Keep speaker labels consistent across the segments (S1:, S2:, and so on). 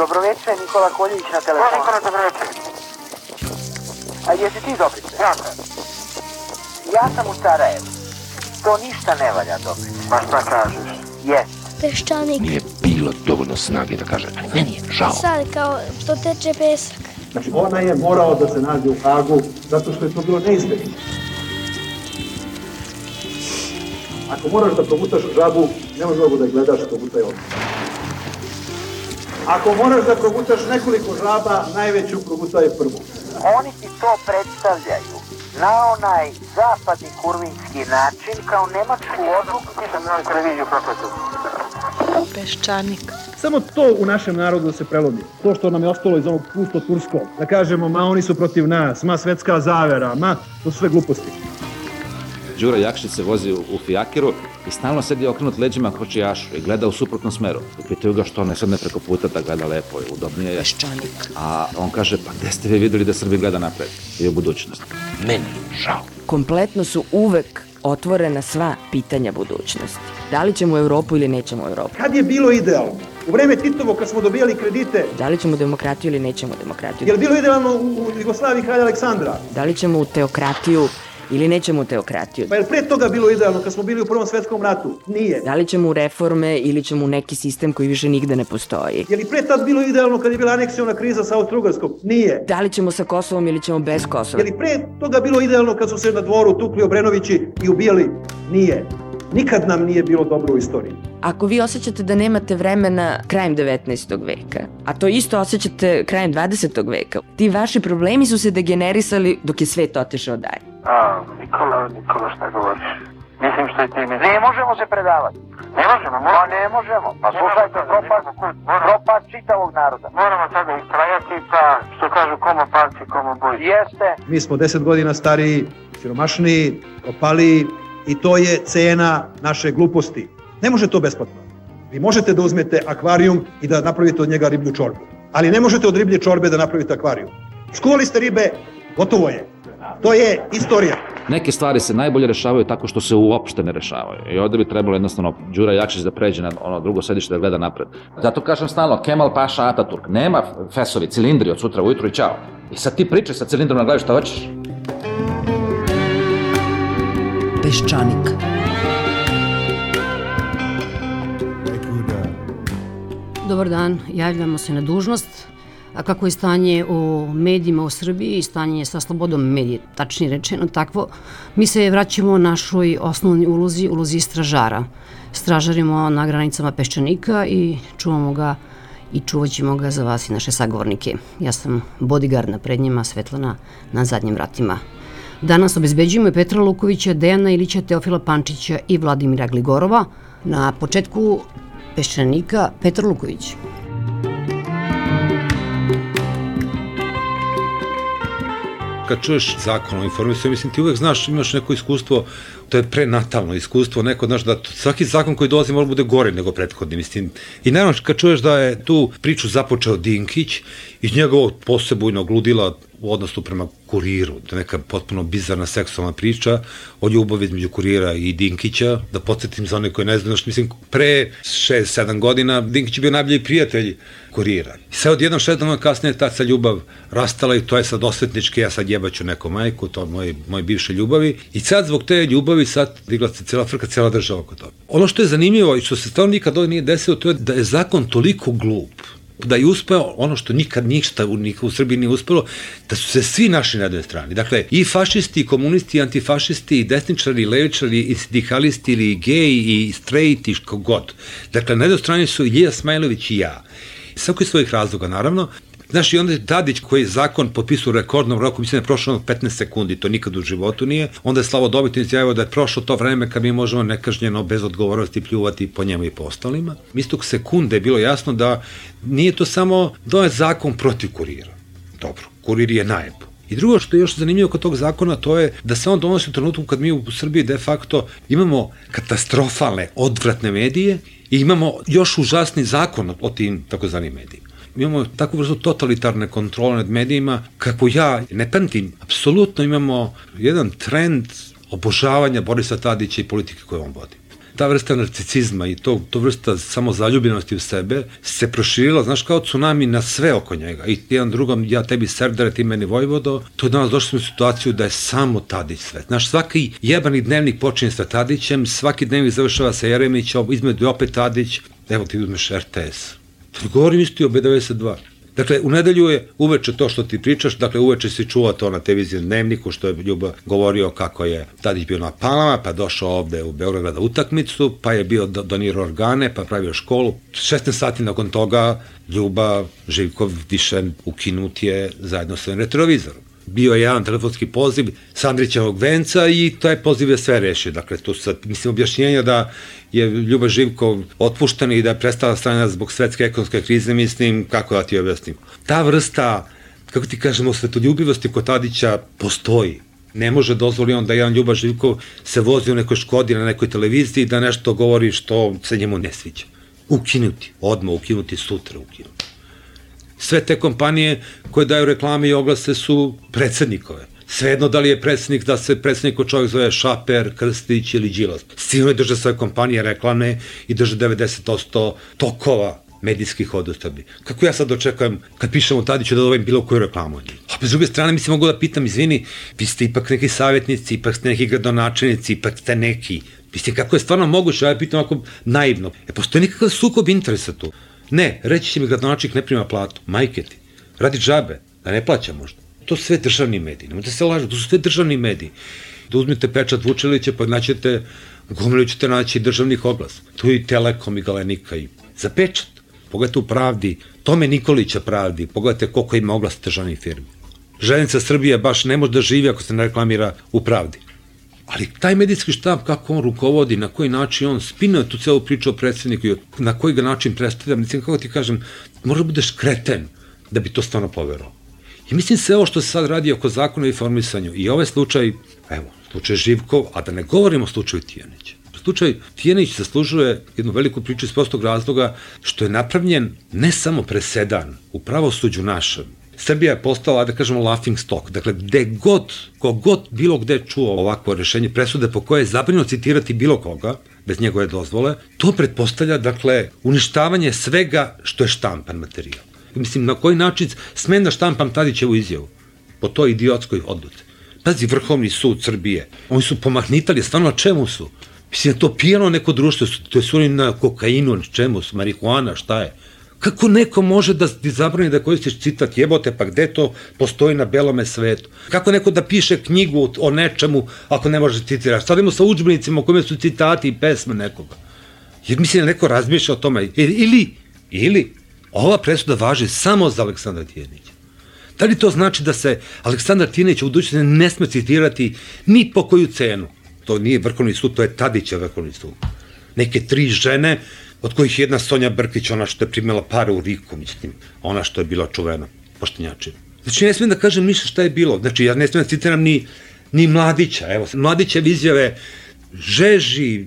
S1: Dobroveče, Nikola Koljević na telefonu.
S2: Nikola, dobroveče.
S1: A jesi ti Dobrice?
S2: Ja sam.
S1: Ja sam u Sarajevu. To ništa ne valja, Dobrice.
S2: Pa šta kažeš?
S1: Jes.
S3: Peščanik.
S4: Nije bilo dovoljno snage da kaže, meni je žao.
S3: Sad kao što teče pesak.
S5: Znači, ona je morao da se nađe u Hagu zato što je to bilo neizbježno. Ako moraš da progutaš žabu, nema mnogo da je gledaš, progutaj ovdje. Ako moraš da progutaš nekoliko žaba, najveću progutaj prvu.
S1: Oni ti to predstavljaju na onaj zapadni kurvinski način kao nemačku odluku.
S2: Ti sam na televiziju propratio.
S3: Peščanik.
S5: Samo to u našem narodu da se prelomi. To što nam je ostalo iz onog pusto turskog. Da kažemo, ma oni su protiv nas, ma svetska zavera, ma to su sve gluposti.
S6: Đura Jakšić se vozi u fijakeru i stalno sedi okrenut leđima kočijašu i gleda u suprotnom smeru. Pitaju ga što ne sedne preko puta da gleda lepo i udobnije je.
S3: Peščanik.
S6: A on kaže, pa gde ste vi videli da Srbija gleda napred i u budućnost?
S4: Meni žao.
S7: Kompletno su uvek otvorena sva pitanja budućnosti. Da li ćemo u Evropu ili nećemo u Evropu?
S5: Kad je bilo idealno? U vreme Titovo kad smo dobijali kredite.
S7: Da li ćemo u demokratiju ili nećemo u demokratiju?
S5: Je li bilo idealno u Jugoslaviji kralja Aleksandra?
S7: Da li ćemo u teokratiju ili nećemo u teokratiju?
S5: Pa je li pre toga bilo idealno kad smo bili u Prvom svetskom ratu? Nije.
S7: Da li ćemo u reforme ili ćemo u neki sistem koji više nigde ne postoji?
S5: Je li pre tad bilo idealno kad je bila aneksiona kriza sa Austro-Ugarskom? Nije.
S7: Da li ćemo sa Kosovom ili ćemo bez Kosova?
S5: Je li pre toga bilo idealno kad su se na dvoru tukli Obrenovići i ubijali? Nije. Nikad nam nije bilo dobro u istoriji.
S7: Ako vi osjećate da nemate vremena krajem 19. veka, a to isto osjećate krajem 20. veka, ti vaši problemi su se degenerisali dok je svet otišao dalje.
S2: Nikola, šta govoriš? Mislim što i ti misliš.
S1: Ne možemo se predavati.
S2: Ne možemo,
S1: Pa ne možemo. Pa slušajte, propad čitavog naroda.
S2: Moramo sada istrajati, pa što kažu komo palci, komo boji.
S1: Jeste.
S5: Mi smo 10 godina stariji, siromašniji, propaliji i to je cena naše gluposti. Ne može to besplatno. Vi možete da uzmete akvarijum i da napravite od njega riblju čorbu. Ali ne možete od riblje čorbe da napravite akvarijum. Skuvali ste ribe, gotovo je. To je istorija.
S6: Neke stvari se najbolje rešavaju tako što se uopšte ne rešavaju. I ovde bi trebalo jednostavno Đura Jakšić da pređe na ono drugo sedište da gleda napred. Zato kažem stalno, Kemal Paša Ataturk, nema fesovi, cilindri od sutra ujutru i čao. I sad ti pričaj sa cilindrom na glavi šta hoćeš.
S7: Peščanik.
S8: Dobar dan, javljamo se na dužnost. A kako je stanje u medijima u Srbiji i stanje sa slobodom medija, tačnije rečeno takvo, mi se vraćamo našoj osnovnoj ulozi stražara. Stražarimo na granicama Peščanika i čuvamo ga i čuvat ćemo ga za vas i naše sagovornike. Ja sam bodyguard na prednjima, Svetlana na zadnjim vratima. Danas obezbeđujemo Petra Lukovića, Dejana Ilića, Teofila Pančića i Vladimira Gligorova. Na početku Peščanika Petar Luković.
S9: Kad čuješ zakon o informisanju, mislim ti uvek znaš, imaš neko iskustvo, to je prenatalno iskustvo, neko znaš da svaki zakon koji dolazi mora bude gore nego prethodni, mislim. I naravno kad čuješ da je tu priču započeo Dinkić iz njegovog posebujnog ludila u odnosu prema Kuriru, to je neka potpuno bizarna seksualna priča o ljubavi između Kurira i Dinkića, da podsjetim za one koji ne znaju, mislim, pre 6-7 godina Dinkić je bio najbolji prijatelj Kurira. I sad odjednom 6 dana kasnije ta se ljubav rastala i to je sad osvetnički, ja sad jebaću neku majku, to je moje bivše ljubavi. I sad zbog te ljubavi sad digla se cijela frka, cijela država oko toga. Ono što je zanimljivo i što se stvarno nikad ovdje nije desilo, to je da je zakon toliko glup, da je uspeo ono što nikad ništa u Srbiji nije uspelo, da su se svi našli na jednoj strani. Dakle, i fašisti, i komunisti, i antifašisti, i desničari, i levičari, i sindikalisti, ili geji, i straight, i god. Dakle, na jednoj strani su Ilija Smajlović i ja. Svako iz svojih razloga, naravno. Znaš, i onda je Tadić koji je zakon potpisao u rekordnom roku, mislim da je prošlo 15 sekundi, to nikad u životu nije. Onda je Slavo Dobitnić izjavio da je prošlo to vreme kad mi možemo nekažnjeno, bez odgovornosti pljuvati po njemu i po ostalima. Istog sekunde je bilo jasno da nije to samo da je zakon protiv Kurira. Dobro, Kurir je najbolji. I drugo što je još zanimljivo kod tog zakona, to je da se on donosi u trenutku kad mi u Srbiji de facto imamo katastrofalne, odvratne medije i imamo još užasni zakon o tim takozvanim medijima. Imamo takvu vrstu totalitarne kontrole nad medijima, kako ja ne pamtim, apsolutno imamo jedan trend obožavanja Borisa Tadića i politike koje on vodi. ta vrsta narcicizma i to vrsta samozaljubljenosti u sebe se proširila, znaš, kao tsunami na sve oko njega. I jedan drugom, ja tebi Serdare, ti meni Vojvodo, to je danas došli u situaciju da je samo Tadić sve. Znaš, svaki jebani dnevnik počinje sa Tadićem, svaki dnevnik završava sa Jeremićom, između opet Tadić, evo ti uzmeš RTS. Govorim isto i o B92. Dakle, u nedelju je uveče to što ti pričaš, dakle, uveče si čuo to na televiziji Dnevniku, što je Ljuba govorio kako je Tadić bio na Palama, pa došao ovde u Beograd na utakmicu, pa je bio donirao organe, pa pravio školu. 16 sati nakon toga Ljuba Živkov više ukinut je zajedno sa retrovizorom. Bio je jedan telefonski poziv sa Andrićevog venca i taj poziv je sve rešio. Dakle, tu sad, mislim, objašnjenja da je Ljuba Živkov otpušten i da je prestala strana zbog svetske ekonomske krize, mislim, kako da ti objasnim. Ta vrsta, kako ti kažemo, svetoljubivosti kod Tadića postoji. Ne može dozvoli on da jedan Ljuba Živkov se vozi u nekoj Škodi na nekoj televiziji da nešto govori što se njemu ne sviđa. Ukinuti, odmah ukinuti, sutra ukinuti. Sve te kompanije koje daju reklame i oglase su predsednikove. Svejedno da li je predsednik, da se predsednik čovjek zove Šaper, Krstić ili Đilas. Svi oni drže svoje kompanije reklame i drže 90% tokova medijskih odostabi. Kako ja sad očekujem kad pišemo Tadiću da dobijem bilo koju reklamu od njih? A s druge strane, mislim, mogu da pitam, izvini, vi ste ipak neki savjetnici, ipak ste neki gradonačelnici, ipak ste neki. Mislim, kako je stvarno moguće, ja pitam ovako naivno. Postoji nekakav sukob interesa tu. Ne, reći će mi gradonačelnik ne prima platu, majke ti, radi džabe, da ne plaća možda. To su sve državni mediji, nemojte se lažu, to su sve državni mediji. Da uzmite pečat Vučelića, pa naćete, gomilu ćete naći državnih oglasa. Tu je i Telekom i Galenika i za pečat. Pogledajte u Pravdi, Tome Nikolića Pravdi, pogledajte koliko ima oglasa državnih firmi. Železnica Srbije baš ne može da živi ako se ne reklamira u Pravdi. Ali taj medijski štab, kako on rukovodi, na koji način on spinuje tu celu priču o predsjedniku i na koji ga način predstavlja, mislim, kako ti kažem, možda budeš kreten da bi to stvarno poverao. I mislim sve ovo što se sad radi oko zakona o informisanju i ovaj slučaj, evo, slučaj Živkov, a da ne govorimo o slučaju Tijanića. Slučaj Tijanić zaslužuje jednu veliku priču iz prostog razloga što je napravljen ne samo presedan u pravosuđu našem. Srbija je postala, da kažemo, laughing stock. Dakle, kogod bilo gde čuo ovakvo rešenje presude po koje je zabranjeno citirati bilo koga, bez njegove dozvole, to pretpostavlja, dakle, uništavanje svega što je štampan materijal. Mislim, na koji način smem da štampam Tadićevu izjavu po toj idiotskoj odluci. Pazi, Vrhovni sud Srbije, oni su pomahnitali, stvarno na čemu su? Mislim, to pijano neko društvo, to su oni na kokainu, na čemu su, marihuana, šta je? Kako neko može da ti zabrani da koristiš citat, jebote, pa gde to postoji na belome svetu? Kako neko da piše knjigu o nečemu ako ne može citirati? Stavimo sa udžbenicima u kojima su citati i pesme nekoga. Jer mislim da neko razmišlja o tome. Ili ova presuda važi samo za Aleksandra Tijanića. Da li to znači da se Aleksandar Tijanić u budućnosti ne sme citirati ni po koju cenu? To nije Vrhovni sud, to je Tadićev Vrhovni sud. Neke 3 žene, od kojih jedna Sonja Brkić, ona što je primila pare u Riku, mislim, ona što je bila čuvena poštenjačina. Znači, ne smijem da kažem ništa šta je bilo. Znači, ja ne smijem da citiram ni Mladića. Evo, Mladićev izjave žeži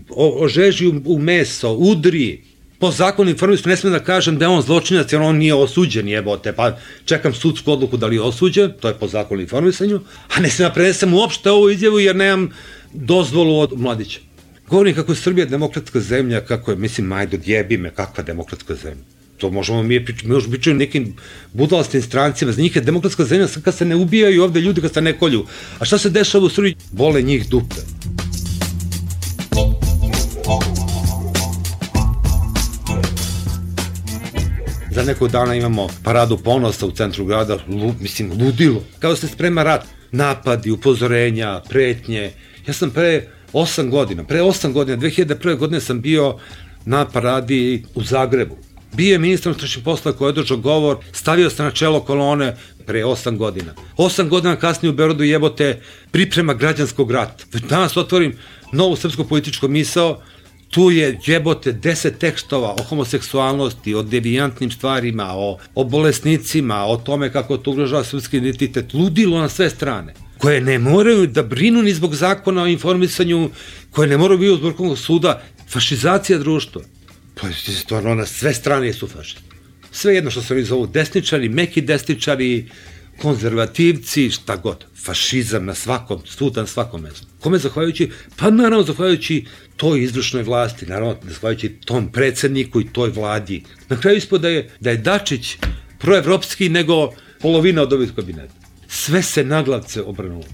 S9: u meso, udri. Po zakonu informisanju ne smijem da kažem da je on zločinac jer on nije osuđen, jebote, pa čekam sudsku odluku da li je osuđen, to je po zakonu informisanju, a ne smijem da prenesem uopšte ovu izjavu jer nemam dozvolu od Mladića. Govorim kako je Srbija demokratska zemlja, kako je, mislim, majdo, djebi me, kakva demokratska zemlja. To možemo mi pričati nekim budalastim strancima, za njih je demokratska zemlja kad se ne ubijaju ovde ljudi, kad se ne kolju. A šta se dešava u Srbiji? Bole njih dupe. Za nekog dana imamo paradu ponosa u centru grada, mislim, ludilo. Kao se sprema rat, napadi, upozorenja, pretnje. Ja sam pre 8 godina, 2001. godine sam bio na paradi u Zagrebu. Bio je ministar unutrašnjih poslova koji je održao govor, stavio se na čelo kolone pre 8 godina. 8 godina kasnije u Beogradu, jebote, priprema građanskog rata. Danas otvorim novu srpsku političku misao, tu je, jebote, 10 tekstova o homoseksualnosti, o devijantnim stvarima, o bolesnicima, o tome kako to ugrožava srpski identitet, ludilo na sve strane, koje ne moraju da brinu ni zbog zakona o informisanju, koje ne moraju biti od Vrhovnog suda, fašizacija društva. Pa stvarno na sve strane su fašisti. Sve jedno što se oni zovu desničari, meki desničari, konzervativci, šta god, fašizam na svakom, svuda na svakom mestu. Kome zahvaljujući? Pa naravno zahvaljujući toj izvršnoj vlasti, naravno zahvaljujući tom predsedniku i toj vladi. Na kraju ispod da je Dačić proevropski nego polovina od ovih kabineta. Sve se naglavce obrnulo.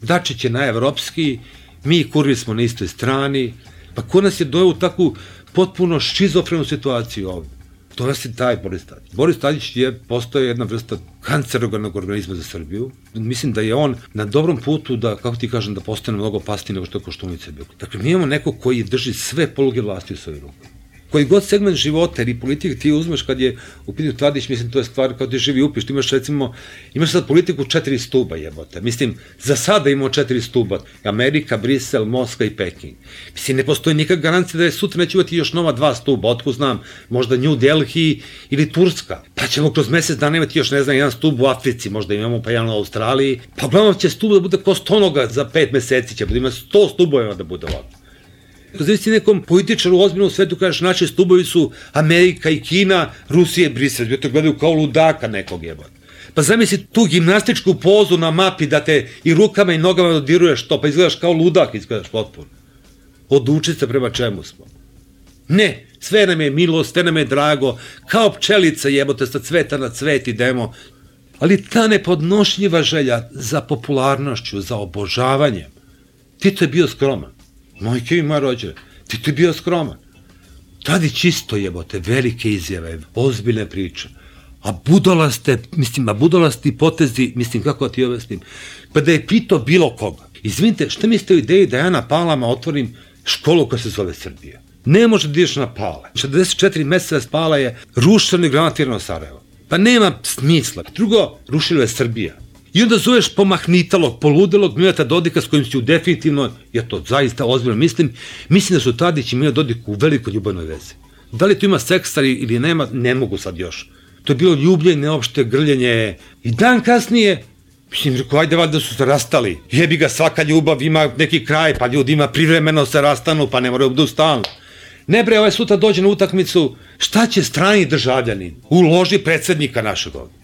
S9: Dačić je najevropski, mi i Kurvi smo na istoj strani, pa ko nas je dojel u takvu potpuno šizofrenu situaciju ovdje? To je taj Boris Tadić. Boris Tadić postoje jedna vrsta kancerogenog organizma za Srbiju. Mislim da je on na dobrom putu da, kako ti kažem, da postane mnogo opasniji nego što je Koštunica bio. Dakle, mi imamo neko koji drži sve poluge vlasti u svojoj ruku. Koji god segment života ili politike ti uzmeš kad je u pitanju Tadić, mislim, to je stvar kao ti živi upiš. Ti imaš sad politiku 4 stuba jebote. Mislim, za sada imamo 4 stuba. Amerika, Brisel, Moskva i Peking. Mislim, ne postoji nikakva garancija da je sutra neće imati još nova 2 stuba. Otko znam, možda New Delhi ili Turska. Pa ćemo kroz mesec dana imati još, ne znam, 1 stub u Africi, možda imamo pa jedan u Australiji. Pa uglavnom će stub da bude ko stonoga za 5 meseci, će ima 100 stubova da bude ovako. Zavisi nekom političaru u ozbiljnom svetu, kažeš, naši stubovi su Amerika i Kina, Rusija i Brisel, to gledaju kao ludaka nekog jebata. Pa zamisli tu gimnastičku pozu na mapi da te i rukama i nogama dodiruješ to, pa izgledaš kao ludak, izgledaš potpuno. Oduči se prema čemu smo. Ne, sve nam je milo, sve nam je drago, kao pčelica jebote, sa cveta na cvet idemo, ali ta nepodnošljiva želja za popularnošću, za obožavanjem, Tito je bio skroman. Mojke i moja rođena, Tito je bio skroman. Tadić isto jebote, velike izjave, ozbiljne priče. A budalasti potezi, mislim, kako ti objasnim, pa da je pitao bilo koga. Izvinite, šta mislite o ideji da ja na Palama otvorim školu koja se zove Srbija? Ne može da ideš na Pale. 44 meseca Pala je rušeno i granatirano Sarajevo. Pa nema smisla. Drugo, rušilo je Srbija. I onda zoveš pomahnitalog, poludelog Mileta Dodika s kojim si definitivno, ja to zaista ozbiljno mislim da su Tadić i Mileta Dodik u velikoj ljubavnoj vezi. Da li to ima seksa ili nema, ne mogu sad još. To je bilo ljubljenje, neopšte grljenje. I dan kasnije, mislim, rekao, ajde valjda su se rastali. Jebi ga, svaka ljubav ima neki kraj, pa ljudi ima privremeno se rastanu, pa ne moraju budu stalno. Ne bre, ovaj sutra dođe na utakmicu, šta će strani državljanin u loži predsednika našeg ovdje?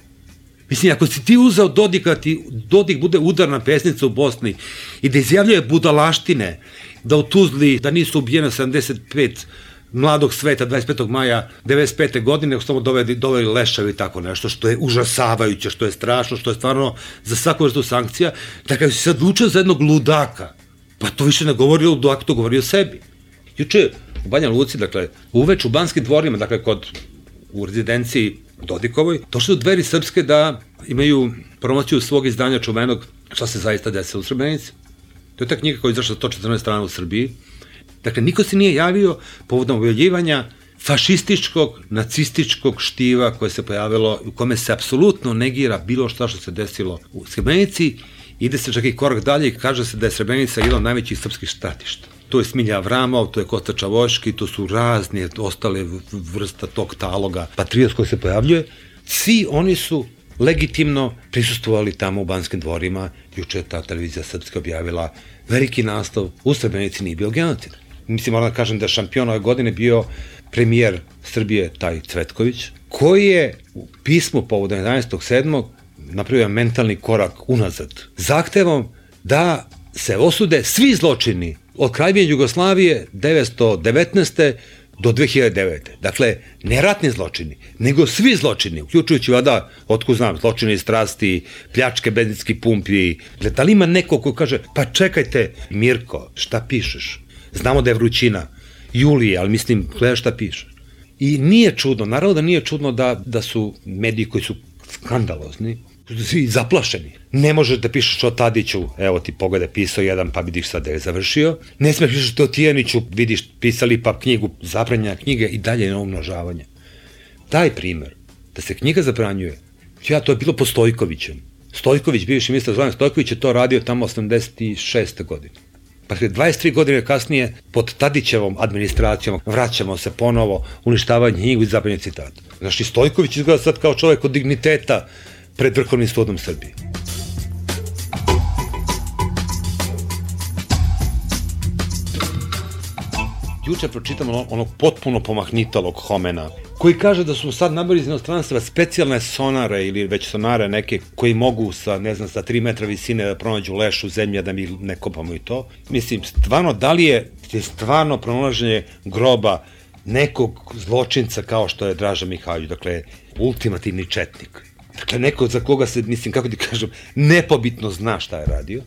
S9: Mislim, ako si ti uzeo Dodika, ti Dodik bude udarna pesnica u Bosni i da izjavljuje budalaštine, da u Tuzli, da nisu ubijene 75 mladog sveta 25. maja 95. godine, nego samo doveli lešavi i tako nešto, što je užasavajuće, što je strašno, što je stvarno za svaku vrstu sankcija, da kada si sad učeo za jednog ludaka, pa to više ne govori o ludaku, to govori o sebi. Juče u Banja Luci, dakle, uveč u Banskim dvorima, dakle, u rezidenciji Dodikovoj, došli do Dveri srpske da imaju promociju svog izdanja čuvenog šta se zaista desilo u Srebrenici. To je ta knjiga koja je izašla 114 strana u Srbiji. Dakle, niko se nije javio povodom objavljivanja fašističkog, nacističkog štiva koje se pojavilo, u kome se apsolutno negira bilo šta što se desilo u Srebrenici. Ide se čak i korak dalje i kaže se da je Srebrenica jedan od najvećih srpskih stratišta. To je Smilja Avramov, to je Kosta Čavoški, to su razne ostale vrsta tog taloga patriot koji se pojavljuje. Svi oni su legitimno prisustvovali tamo u Banskim dvorima. Juče je ta televizija srpska objavila veliki naslov, u Srebrenici nije bio genocid. Mislim, moram da kažem da je šampion ove godine bio premijer Srbije, taj Cvetković, koji je u pismu povodom 11.7. napravio mentalni korak unazad, zahtevom da se osude svi zločini od Kraljevine Jugoslavije 1919. do 2009. Dakle, ne ratni zločini, nego svi zločini, uključujući vada, otko znam, zločine iz strasti, pljačke benzinskih pumpi. Da li ima neko ko kaže, pa čekajte, Mirko, šta pišeš? Znamo da je vrućina, Julije, ali mislim, gledaj šta pišeš. I nije čudno, naravno da nije čudno da su mediji koji su skandalozni, svi zaplašeni. Ne možeš da pišeš o Tadiću, evo ti pogledaj, pisao jedan, pa vidiš sad da je završio. Ne smiješ pišeš o Tijaniću, vidiš, pisali pa knjigu, zabranjena knjige i dalje na umnožavanje. Taj primer, da se knjiga zabranjuje, to je bilo po Stojkovićem. Stojković, bivši ministar Zoran Stojković, je to radio tamo 86. godine. Pa 23 godine kasnije, pod Tadićevom administracijom, vraćamo se ponovo, uništavanje knjigu i zabranjanje citata. Znači, Stojković izgleda sad kao čovjek od digniteta pred Vrhovnim sudom Srbije. juče pročitam onog potpuno pomahnitalog Homena, koji kaže da su sad nabavili iz inostranstva specijalne sonare ili već sonare neke koji mogu sa 3 metra visine da pronađu leš u zemlji, a da mi ne kopamo i to. Mislim, stvarno, da li je stvarno pronalaženje groba nekog zločinca kao što je Draža Mihajlović, dakle, ultimativni četnik. Dakle, neko za koga se, mislim, kako ti kažem, nepobitno zna šta je radio.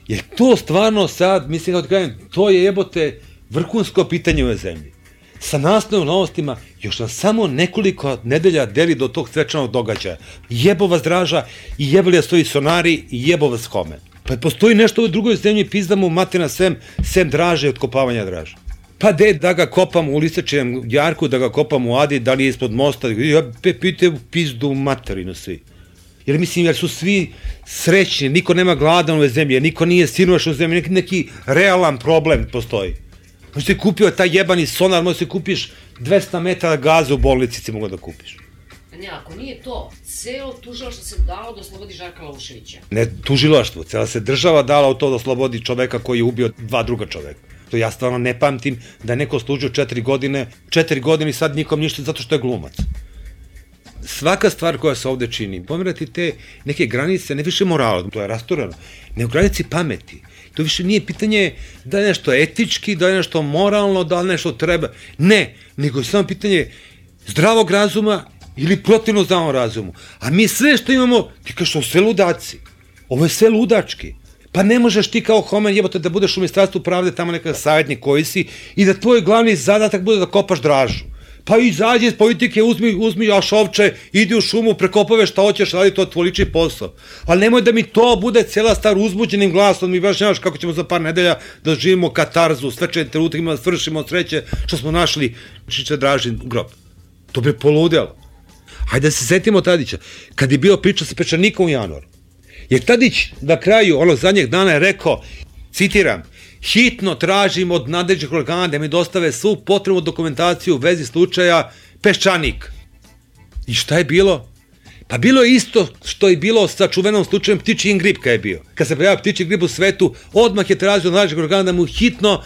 S9: Jer to stvarno sad, mislim, kako ti kažem, to je jebote vrhunsko pitanje u ovoj zemlji. Sa naslovnim novostima još nam samo nekoliko nedelja deli do tog svečanog događaja. Jebo vas Draža i jebali da stoji sonari i jebo vas Homen. Pa postoji nešto u ovoj drugoj zemlji, pizdamo materna sem Draže i otkopavanja Draže. Pa da ga kopam u Lisečijem jarku, da ga kopam u Adi, da li je ispod mosta, pite u pizdu materinu svi. Jer mislim, jer su svi srećni, niko nema gladan u ovoj zemlji, niko nije siromašan u zemlji, neki realan problem postoji. Možeš ti kupio taj jebani sonar, možeš ti kupiš 200 metara gaza u bolnici, si mogla da kupiš.
S8: Ne, ako nije to, celo tužilaštvo se dalo da oslobodi Žarka Lauševića.
S9: Ne tužilaštvo, cela se država dala u to da oslobodi čoveka koji je ubio 2 druga čoveka. To ja stvarno ne pamtim da je neko služio 4 godine i sad nikom ništa zato što je glumac. Svaka stvar koja se ovde čini, pomerati te neke granice, ne više morala, to je rasturano, ne u granici pameti. To više nije pitanje da je nešto etički, da je nešto moralno, da li nešto treba. Ne, nego je samo pitanje zdravog razuma ili protivno zdravom razumu. A mi sve što imamo, ti kažeš, ovo sve ludaci. Ovo je sve ludački. Pa ne možeš ti kao Homen jebote da budeš u Ministarstvu pravde tamo nekakav savjetnik koji si i da tvoj glavni zadatak bude da kopaš Dražu. Pa izađi iz politike, uzmi ašovče, idi u šumu, prekopave šta hoćeš, radi to tvoj lični posao. Ali nemoj da mi to bude cijela stvar uzbuđenim glasom, mi baš nemaš kako ćemo za par nedelja da živimo katarzu, svečani trenutak ima da svršimo sreće što smo našli Čiče Dražin grob. To bi poludelo. Hajde da se setimo Tadića, kad je bio priča sa Pečanikom u januaru. Jer Tadić na kraju onog zadnjeg dana je rekao, citiram, hitno tražim od nadležnih organa da mi dostave svu potrebnu dokumentaciju u vezi slučaja Peščanik. I šta je bilo? Pa bilo je isto što je bilo sa čuvenom slučajem ptičji grip kad je bio. Kad se pojavio ptičji grip u svetu, odmah je tražio od nadležnih organa da mu hitno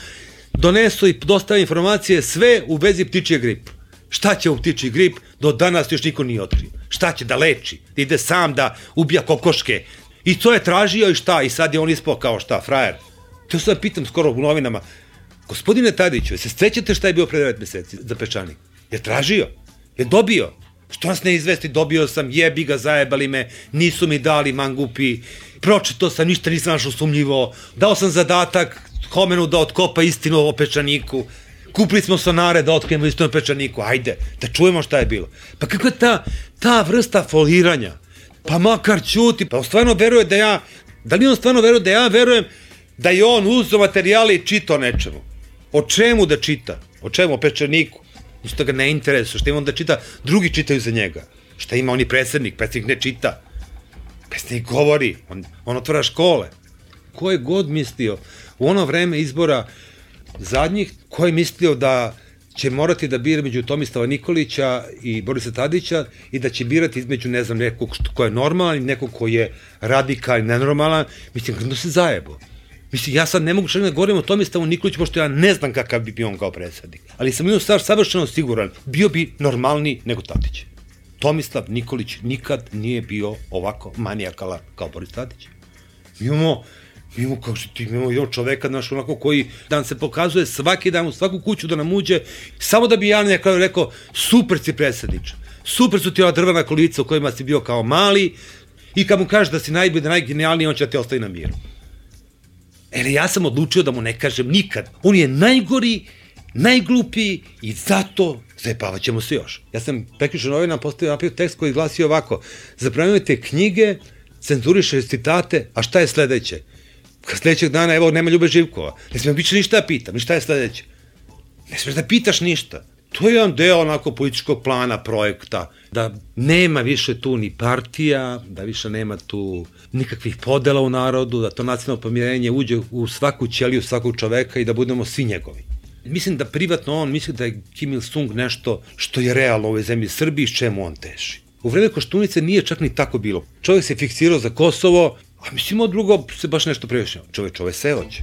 S9: donesu i dostave informacije sve u vezi ptičji grip. Šta će u ptičji grip? Do danas još niko nije otkrio. Šta će da leči? Da ide sam da ubija kokoške? I to je tražio i šta? I sad je on ispao kao šta? Frajer. To sad pitam skoro u novinama. Gospodine Tadiću, se sećate šta je bio pre 9 meseci za Peščanik? Je tražio? Je dobio? Što nas ne izvesti? Dobio sam, jebi ga, zajebali me, nisu mi dali mangupi, pročito sam, ništa nisam našao sumnjivo, dao sam zadatak Homenu da otkopa istinu o Peščaniku, kupili smo sonare da otkrijemo istinu o Peščaniku, ajde, da čujemo šta je bilo. Pa kako je ta vrsta foliranja? Pa makar ćuti, pa on stvarno veruje da ja, da li on stvarno veruje da ja verujem da je on uzeo materijali i čitao nečemu? O čemu da čita? O čemu? O Peščaniku? Ništa ga ne interesuje, šta ima on da čita, drugi čitaju za njega. Šta ima, on je predsednik ne čita. Predsednik govori, on otvara škole. Ko je god mislio, u ono vreme izbora zadnjih, ko je mislio da će morati da bira među Tomislava Nikolića i Borisa Tadića i da će birati između, ne znam, nekog ko je normalan i nekog ko je radikal i nenormalan, mislim, kada se zajebo. Mislim, ja sad ne mogu čak da govorim o Tomislavu Nikoliću, pošto ja ne znam kakav bi bio on kao predsednik. Ali sam jednu stvar savršeno siguran, bio bi normalniji nego Tadić. Tomislav Nikolić nikad nije bio ovako manijakalan kao Boris Tadić. Mi imamo kao što ti imamo jedan čoveka, naš onako koji dan se pokazuje svaki dan u svaku kuću da nam uđe, samo da bi ja na kraju rekao, super si predsedniče, super su ti ova drvena kolica u kojima si bio kao mali i kad mu kažeš da si najbolji, da najgenijalniji, on će da te ostavi na miru. Ja sam odlučio da mu ne kažem nikad. On je najgori, najglupiji i zato zajebavat ćemo se još. Ja sam prekjuče novinama napravio tekst koji glasi ovako: zabranjujete knjige, cenzuriše citate, a šta je sledeće? Sledećeg dana, evo, nema Ljube Živkova. Ne smijem više ništa da pitam. I šta je sledeće? Ne smiješ da pitaš ništa. To je jedan deo onako političkog plana, projekta, da nema više tu ni partija, da više nema tu nikakvih podela u narodu, da to nacionalno pomirenje uđe u svaku ćeliju svakog čoveka i da budemo svi njegovi. Mislim da privatno on misli da je Kim Il-sung nešto što je realno u ovoj zemlji Srbiji, s čemu on teži. U vreme Koštunice nije čak ni tako bilo. Čovjek se fiksirao za Kosovo, a mislim od drugo se baš nešto previše. Čoveč, ove sve hoće.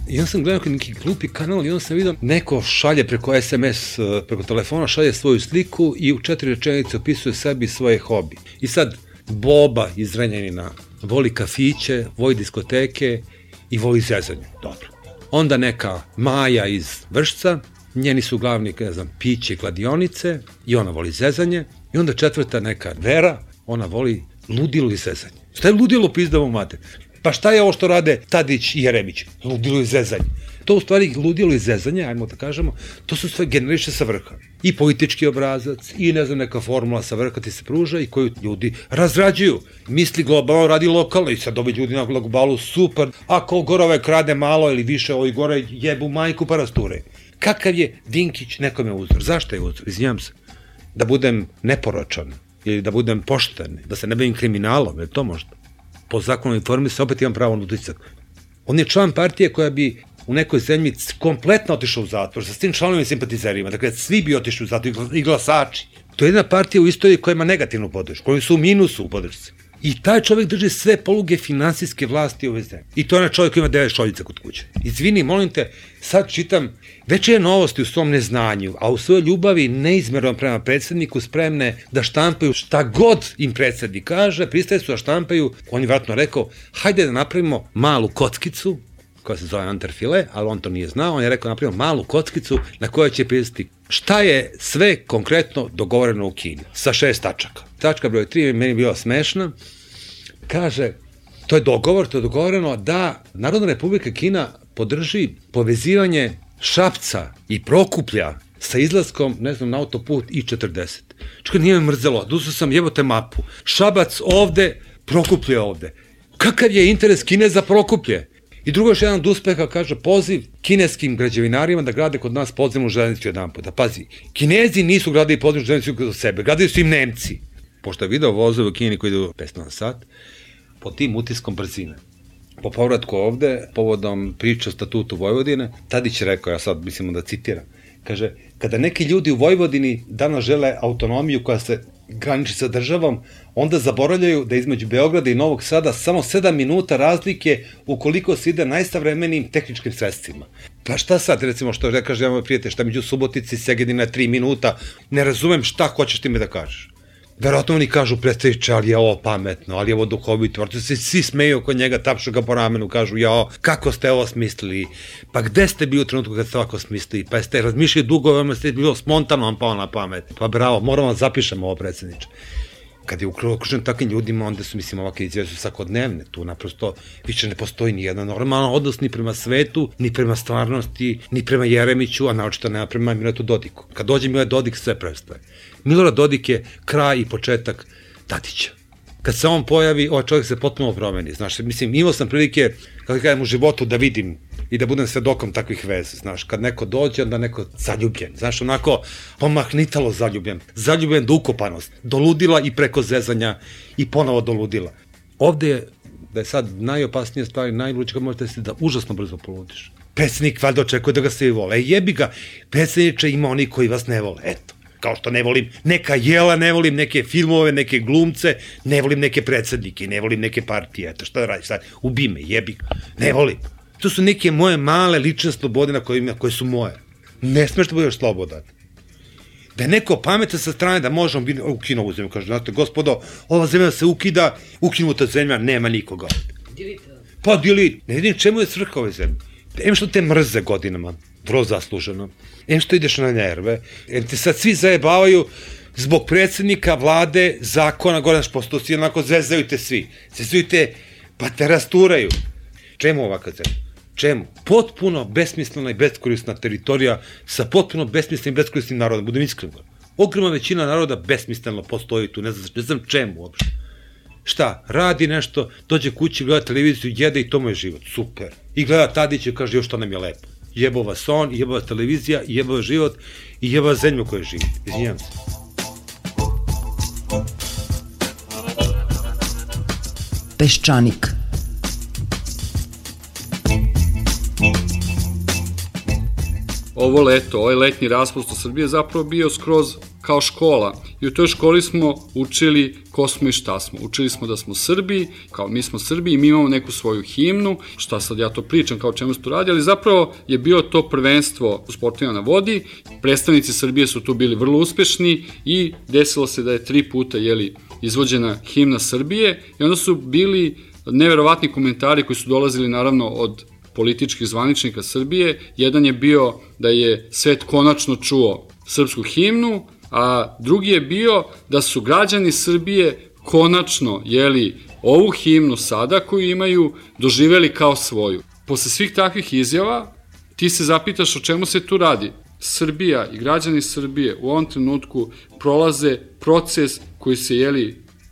S9: I onda sam gledao neki glupi kanal i onda sam vidio neko šalje preko SMS, preko telefona, šalje svoju sliku i u 4 rečenice opisuje sebi svoje hobi. I sad Boba iz Zrenjanina voli kafiće, voli diskoteke i voli zezanje. Dobro. Onda neka Maja iz Vršca, njeni su glavni, ne znam, piće i kladionice i ona voli zezanje. I onda 4. neka Vera, ona voli ludilo i zezanje. Šta je ludilo, pizdavo mate? Pa šta je ovo što rade Tadić i Jeremić? Ludilo i zezanje. To u stvari ludilo i zezanje, ajmo da kažemo, to su sve generiše sa vrha. I politički obrazac, i ne znam, neka formula sa vrha ti se pruža i koju ljudi razrađuju. Misli globalno, radi lokalno i sad ovi ljudi na globalu, super, ako gore ove krade malo ili više, ovi gore jebu majku pa rasture. Kakav je Dinkić nekome uzor? Zašto je uzor? Izvinjam se. Da budem neporočan ili da budem pošten, da se ne bavim kriminalom, je to možda? Po zakonu informisanja opet imam pravo na utisak. On je član partije koja bi u nekoj zemlji kompletno otišao u zatvor, sa tim članovima i simpatizerima, dakle svi bi otišli u zatvor i glasači. To je jedna partija u istoriji koja ima negativnu podršku, koji su u minusu u podršci. I taj čovjek drži sve poluge finansijske vlasti ove zemlje. I to je onaj čovjek koji ima 9 šoljica kod kuće. Izvini, molim te, sad čitam veće novosti u svom neznanju, a u svojoj ljubavi neizmerno prema predsjedniku spremne da štampaju šta god im predsjednik kaže, pristaje su da štampaju, on je vratno rekao, hajde da napravimo malu kockicu, koja se zove Anterfile, ali on to nije znao, on je rekao napravimo malu kockicu na kojoj će pisati šta je sve konkretno dogovoreno u Kini, sa 6 tačaka. Tačka broj 3 je meni bila smešna, kaže, to je dogovoreno da Narodna Republika Kina podrži povezivanje Šapca i Prokuplja sa izlaskom, ne znam, na autoput I-40. Čekaj, nije me mrzelo, dusao sam, jebote mapu, Šabac ovde, Prokuplje ovde. Kakav je interes Kine za Prokuplje? I drugo još jedan od uspeha, kaže, poziv kineskim građevinarima da grade kod nas podzemnu železnicu jedan puta. Pazi, Kinezi nisu gradili podzemnu železnicu kod sebe, gradili su im Nemci. Pošto je video vozove u Kini koji idu 500 na sat, po tim utiskom brzine. Po povratku ovde, povodom priče o statutu Vojvodine, Tadić je rekao, ja sad mislimo da citiram, kaže, kada neki ljudi u Vojvodini danas žele autonomiju koja se graniči sa državom, onda zaboravljaju da između Beograda i Novog Sada samo 7 minuta razlike ukoliko se ide najsavremenijim tehničkim sredstvima. Pa šta sad, recimo, što je kaže, ja moj prijatelj, šta među Subotici i Segedina 3 minuta, ne razumem šta hoćeš ti me da kažeš. Verovatno oni kažu, predstaviće, ali je ovo pametno, ali je ovo duhovito, vrlo se svi smeju oko njega, tapšu ga po ramenu, kažu, jao, kako ste ovo smislili, pa gde ste bili u trenutku kad ste ovako smislili, pa jeste razmišljali dugo, vam ste bilo spontano vam pao na pamet, pa bravo, moramo da zapišemo ovo, predsjedniče. Kad je okružen takvim ljudima, onda su, mislim, ovakve izjave su svakodnevne, tu naprosto više ne postoji ni jedan normalan odnos ni prema svetu, ni prema stvarnosti, ni prema Jeremiću, a naočito nema prema Miloradu Dodiku. Kad dođe Milorad Dodik, sve prestaje. Milorad Dodik je kraj i početak Tadića. Kad se on pojavi, ovaj čovjek se potpuno promeni, znaš, mislim, imao sam prilike, kako kažem, u životu da vidim i da budem svedokom takvih veza, znaš, kad neko dođe, onda neko zaljubljen, znaš, onako pomahnitalo zaljubljen do ukopanost, do ludila i preko zezanja i ponovo do ludila. Ovde je, da je sad najopasnija stvar, najluđe kad možete se da užasno brzo poludiš. Predsjednik valjda očekuje da ga svi vole, jebi ga, predsjedniče, ima oni koji vas ne vole, eto. Kao što ne volim neka jela, ne volim neke filmove, neke glumce, ne volim neke predsjednike, ne volim neke partije, eto šta da radiš sad, ubi me, jebi, ne volim. To su neke moje male lične slobode koje su moje. Ne smeš da budeš slobodan. Da je neko pametan sa strane da možemo biti ukinu ovu zemlju, kaže, znate, gospodo, ova zemlja se ukida, ukinuta zemlja, nema nikoga. Pa delete, ne vidim čemu je svrha ove zemlje. Em što te mrze godinama, vrlo zasluženo, em što ideš na nerve, em te sad svi zajebavaju zbog predsjednika, vlade, zakona, gore naš posto, svi onako zvezaju te svi, pa te rasturaju. Čemu ovakav zemlja? Čemu? Potpuno besmislena i beskorisna teritorija sa potpuno besmislenim i beskorisnim narodom, budem iskren. Ogromna većina naroda besmisleno postoji tu, ne znam čemu uopšte. Šta? Radi nešto, dođe kući, gleda televiziju, jede i to mu je život. Super. I gleda Tadića i kaže, još to nam je lepo. Jebo vas on, jebo vas televizija, jebo vas život i jebo vas zemlju koju živi. Izvinjam se.
S10: Peščanik.
S11: Ovo leto, ovaj letnji raspust u Srbiji je zapravo bio skroz kao škola
S10: i u toj školi smo učili ko smo i šta smo. Učili smo da smo Srbi, kao mi smo Srbi i mi imamo neku svoju himnu, šta sad ja to pričam, kao čemu se to radi, ali zapravo je bilo to prvenstvo u sportovima na vodi, predstavnici Srbije su tu bili vrlo uspešni i desilo se da je 3 puta izvođena himna Srbije i onda su bili neverovatni komentari koji su dolazili naravno od političkih zvaničnika Srbije. Jedan je bio da je svet konačno čuo srpsku himnu, a drugi je bio da su građani Srbije konačno, ovu himnu sada koju imaju, doživeli kao svoju. Posle svih takvih izjava, ti se zapitaš o čemu se tu radi. Srbija i građani Srbije u ovom trenutku prolaze proces koji se,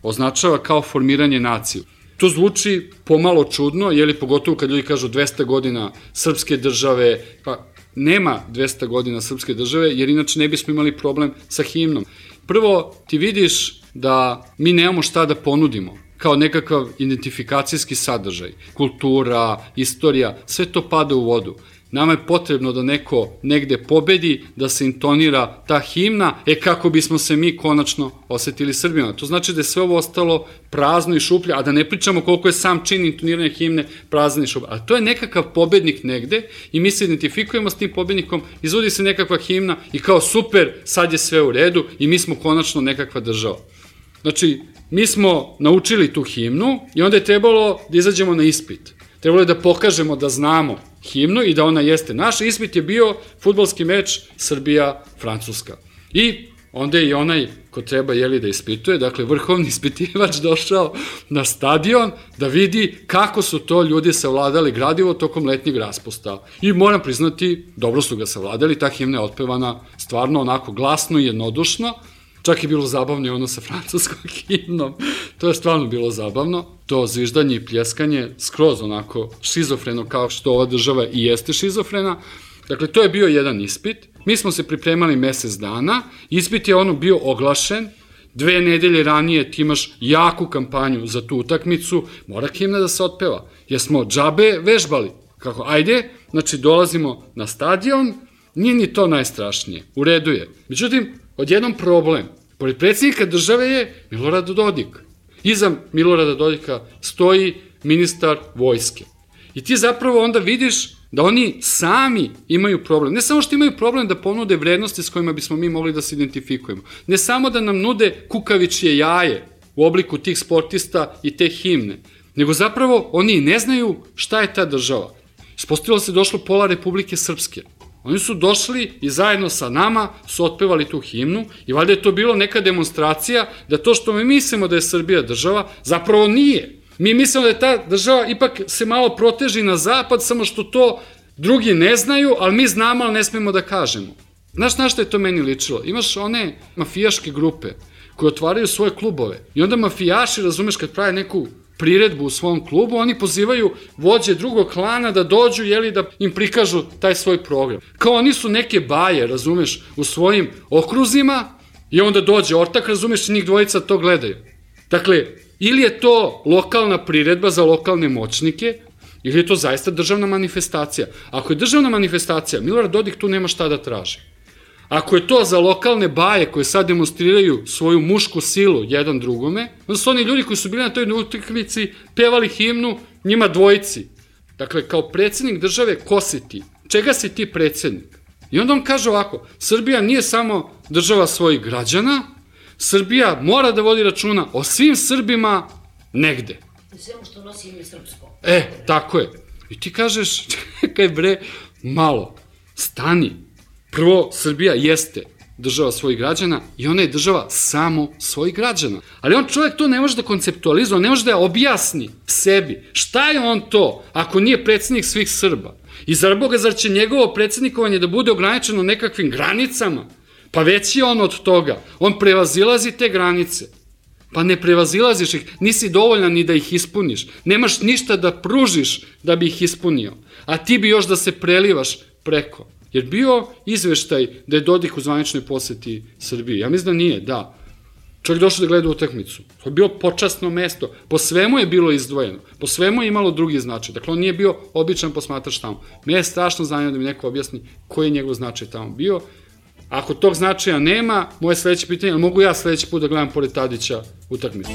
S10: označava kao formiranje nacije. To zvuči pomalo čudno, pogotovo kad ljudi kažu 200 godina srpske države, pa nema 200 godina srpske države, jer inače ne bismo imali problem sa himnom. Prvo, ti vidiš da mi nemamo šta da ponudimo, kao nekakav identifikacijski sadržaj, kultura, istorija, sve to pada u vodu. Nama je potrebno da neko negde pobedi, da se intonira ta himna, kako bismo se mi konačno osetili Srbima. To znači da je sve ovo ostalo prazno i šuplje, a da ne pričamo koliko je sam čin intoniranja himne prazan i šuplje. A to je nekakav pobednik negde i mi se identifikujemo s tim pobednikom, izvodi se nekakva himna i kao super, sad je sve u redu i mi smo konačno nekakva država. Znači, mi smo naučili tu himnu i onda je trebalo da izađemo na ispit. Trebalo je da pokažemo da znamo himnu i da ona jeste naša. Ispit je bio fudbalski meč Srbija-Francuska. I onda je i onaj ko treba da ispituje, dakle vrhovni ispitivač došao na stadion da vidi kako su to ljudi savladali gradivo tokom letnjeg raspusta. I moram priznati, dobro su ga savladali, ta himna je otpevana stvarno onako glasno i jednodušno. Čak je bilo zabavno i ono sa francuskom himnom. To je stvarno bilo zabavno. To zviždanje i pljeskanje skroz onako šizofreno kao što ova država i jeste šizofrena. Dakle, to je bio jedan ispit. Mi smo se pripremali mesec dana. Ispit je bio oglašen. 2 nedelje ranije ti imaš jaku kampanju za tu utakmicu. Mora himna da se otpeva. Jer smo džabe vežbali. Kako, ajde, znači dolazimo na stadion. Nije ni to najstrašnije. U redu je. Međutim, odjednom problem. Pored predsjednika države je Milorad Dodik. Iza Milorada Dodika stoji ministar vojske. I ti zapravo onda vidiš da oni sami imaju problem. Ne samo što imaju problem da ponude vrednosti s kojima bismo mi mogli da se identifikujemo. Ne samo da nam nude kukavičje jaje u obliku tih sportista i te himne. Nego zapravo oni ne znaju šta je ta država. Ispostavilo se došlo pola Republike Srpske. Oni su došli i zajedno sa nama su otpevali tu himnu i valjda je to bilo neka demonstracija da to što mi mislimo da je Srbija država, zapravo nije. Mi mislimo da je ta država ipak se malo proteži na zapad, samo što to drugi ne znaju, ali mi znamo, ali ne smemo da kažemo. Znaš na što je to meni ličilo? Imaš one mafijaške grupe koje otvaraju svoje klubove i onda mafijaši, razumeš, kad prave neku priredbu u svom klubu, oni pozivaju vođe drugog klana da dođu, da im prikažu taj svoj program. Kao oni su neke baje, razumeš, u svojim okruzima i onda dođe ortak, razumeš, i njih dvojica to gledaju. Dakle, ili je to lokalna priredba za lokalne moćnike, ili je to zaista državna manifestacija. Ako je državna manifestacija, Milorad Dodik tu nema šta da traži. Ako je to za lokalne baje koje sad demonstriraju svoju mušku silu jedan drugome, onda su oni ljudi koji su bili na toj utakmici pevali himnu njima dvojici. Dakle, kao predsjednik države, ko si ti? Čega si ti predsjednik? I onda on kaže ovako, Srbija nije samo država svojih građana, Srbija mora da vodi računa o svim Srbima negde.
S8: Svemu što nosi ime srpsko.
S10: Tako je. I ti kažeš, čekaj bre, malo, stani. Prvo, Srbija jeste država svojih građana i ona je država samo svojih građana. Ali on čovjek to ne može da konceptualizuje, on ne može da objasni sebi. Šta je on to ako nije predsjednik svih Srba? I zar Boga, zar će njegovo predsjednikovanje da bude ograničeno nekakvim granicama? Pa već je on od toga. On prevazilazi te granice. Pa ne prevazilaziš ih, nisi dovoljan ni da ih ispuniš. Nemaš ništa da pružiš da bi ih ispunio. A ti bi još da se prelivaš preko. Jer bio izveštaj da je Dodik u zvaničnoj poseti Srbiji. Ja mislim da nije, da. Čovjek došao da gleda utakmicu. To je bilo počasno mesto. Po svemu je bilo izdvojeno. Po svemu je imalo drugi značaj. Dakle, on nije bio običan posmatrač tamo. Me je strašno zanimljivo da mi neko objasni koji je njegov značaj tamo bio. Ako tog značaja nema, moje sledeće pitanje, ali mogu ja sledeći put da gledam pored Tadića utakmicu?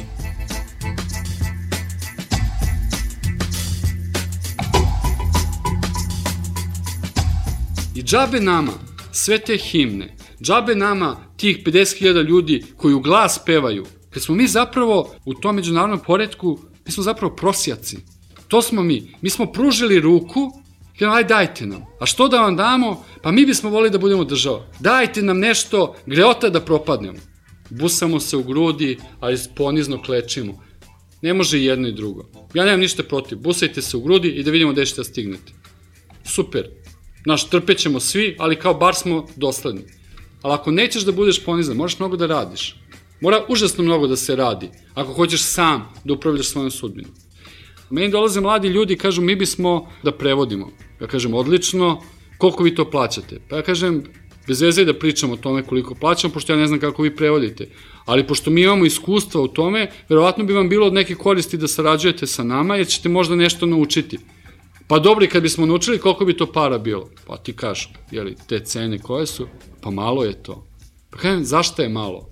S10: I džabe nama sve te himne, džabe nama tih 50.000 ljudi koji u glas pevaju, kad smo mi zapravo u tom međunarodnom poretku, mi smo zapravo prosjaci. To smo mi. Mi smo pružili ruku, aj dajte nam. A što da vam damo? Pa mi bismo volili da budemo država. Dajte nam nešto, greota da propadnemo. Busamo se u grudi, ali ponizno klečimo. Ne može i jedno i drugo. Ja nemam ništa protiv. Busajte se u grudi i da vidimo gde ćete da stignete. Super. Znaš, trpećemo svi, ali kao bar smo dosledni. Ali ako nećeš da budeš ponizan, moraš mnogo da radiš. Mora užasno mnogo da se radi, ako hoćeš sam da upravljaš svojom sudbinom. Meni dolaze mladi ljudi i kažu mi bismo da prevodimo. Ja kažem odlično, koliko vi to plaćate? Pa ja kažem, bez veze da pričamo o tome koliko plaćamo, pošto ja ne znam kako vi prevodite. Ali pošto mi imamo iskustva u tome, verovatno bi vam bilo od neke koristi da sarađujete sa nama, jer ćete možda nešto naučiti. Pa dobro, i kad bismo naučili, koliko bi to para bilo? Pa ti kažu, jeli, te cene koje su? Pa malo je to. Pa kažem, zašto je malo?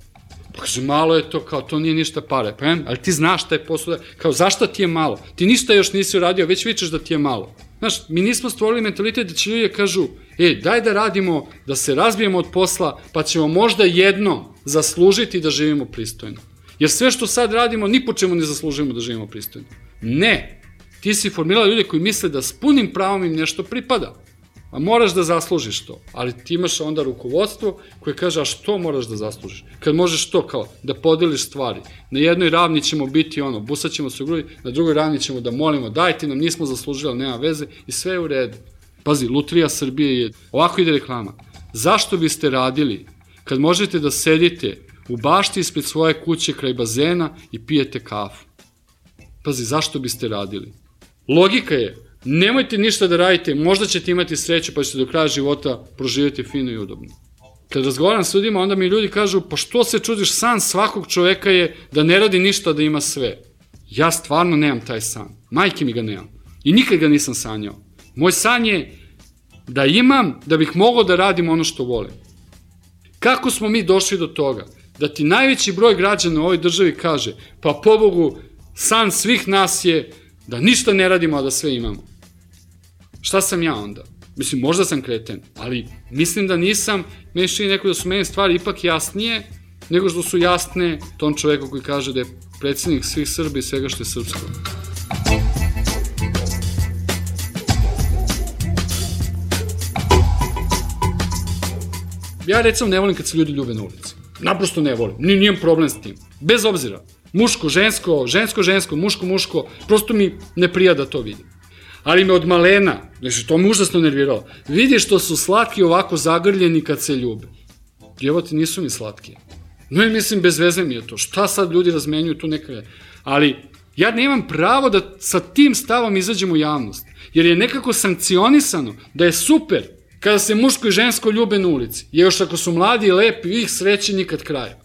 S10: Pa kaže, malo je to, kao to nije ništa pare. Pa kažem, ali ti znaš šta je posao, kao zašto ti je malo? Ti ništa još nisi uradio, već vičeš da ti je malo. Znaš, mi nismo stvorili mentalitet da će ljudi kažu, daj da radimo, da se razbijemo od posla, pa ćemo možda jednom zaslužiti da živimo pristojno. Jer sve što sad radimo, ni po čemu ne zaslužujemo da živimo pristojno. Ne! Ti si formirala ljude koji misle da s punim pravom im nešto pripada. A moraš da zaslužiš to. Ali ti imaš onda rukovodstvo koje kaže, a što moraš da zaslužiš? Kad možeš to kao da podeliš stvari. Na jednoj ravni ćemo biti busat ćemo se u grudi, na drugoj ravni ćemo da molimo, dajte nam, nismo zaslužili, ali nema veze i sve je u redu. Pazi, Lutrija Srbije je, ovako ide reklama. Zašto biste radili kad možete da sedite u bašti ispred svoje kuće kraj bazena i pijete kafu? Pazi, zašto biste radili? Logika je, nemojte ništa da radite, možda ćete imati sreću pa ćete do kraja života proživjeti fino i udobno. Kad razgovaram s ljudima, onda mi ljudi kažu, pa što se čudiš, san svakog čoveka je da ne radi ništa, da ima sve. Ja stvarno nemam taj san, majke mi ga nemam i nikad ga nisam sanjao. Moj san je da imam, da bih mogao da radim ono što volim. Kako smo mi došli do toga? Da ti najveći broj građana u ovoj državi kaže, pa pobogu, san svih nas je da ništa ne radimo, a da sve imamo. Šta sam ja onda? Mislim, možda sam kreten, ali mislim da nisam, meni čini neko da su meni stvari ipak jasnije, nego što su jasne tom čoveku koji kaže da je predsjednik svih Srba i svega što je srpsko. Ja recimo ne volim kad se ljudi ljube na ulici. Naprosto ne volim, nijem problem s tim. Bez obzira. Muško, žensko, žensko, žensko, muško, muško, prosto mi ne prija da to vidim. Ali me od malena, znači to me užasno nerviralo, vidi što su slatki ovako zagrljeni kad se ljube. Djevoti nisu mi slatki. No i mislim, bez veze mi je to. Šta sad ljudi razmenjuju tu neka... Ali ja nemam pravo da sa tim stavom izađem u javnost, jer je nekako sankcionisano da je super kada se muško i žensko ljube na ulici. Jer još ako su mladi i lepi, ih sreće nikad kraja.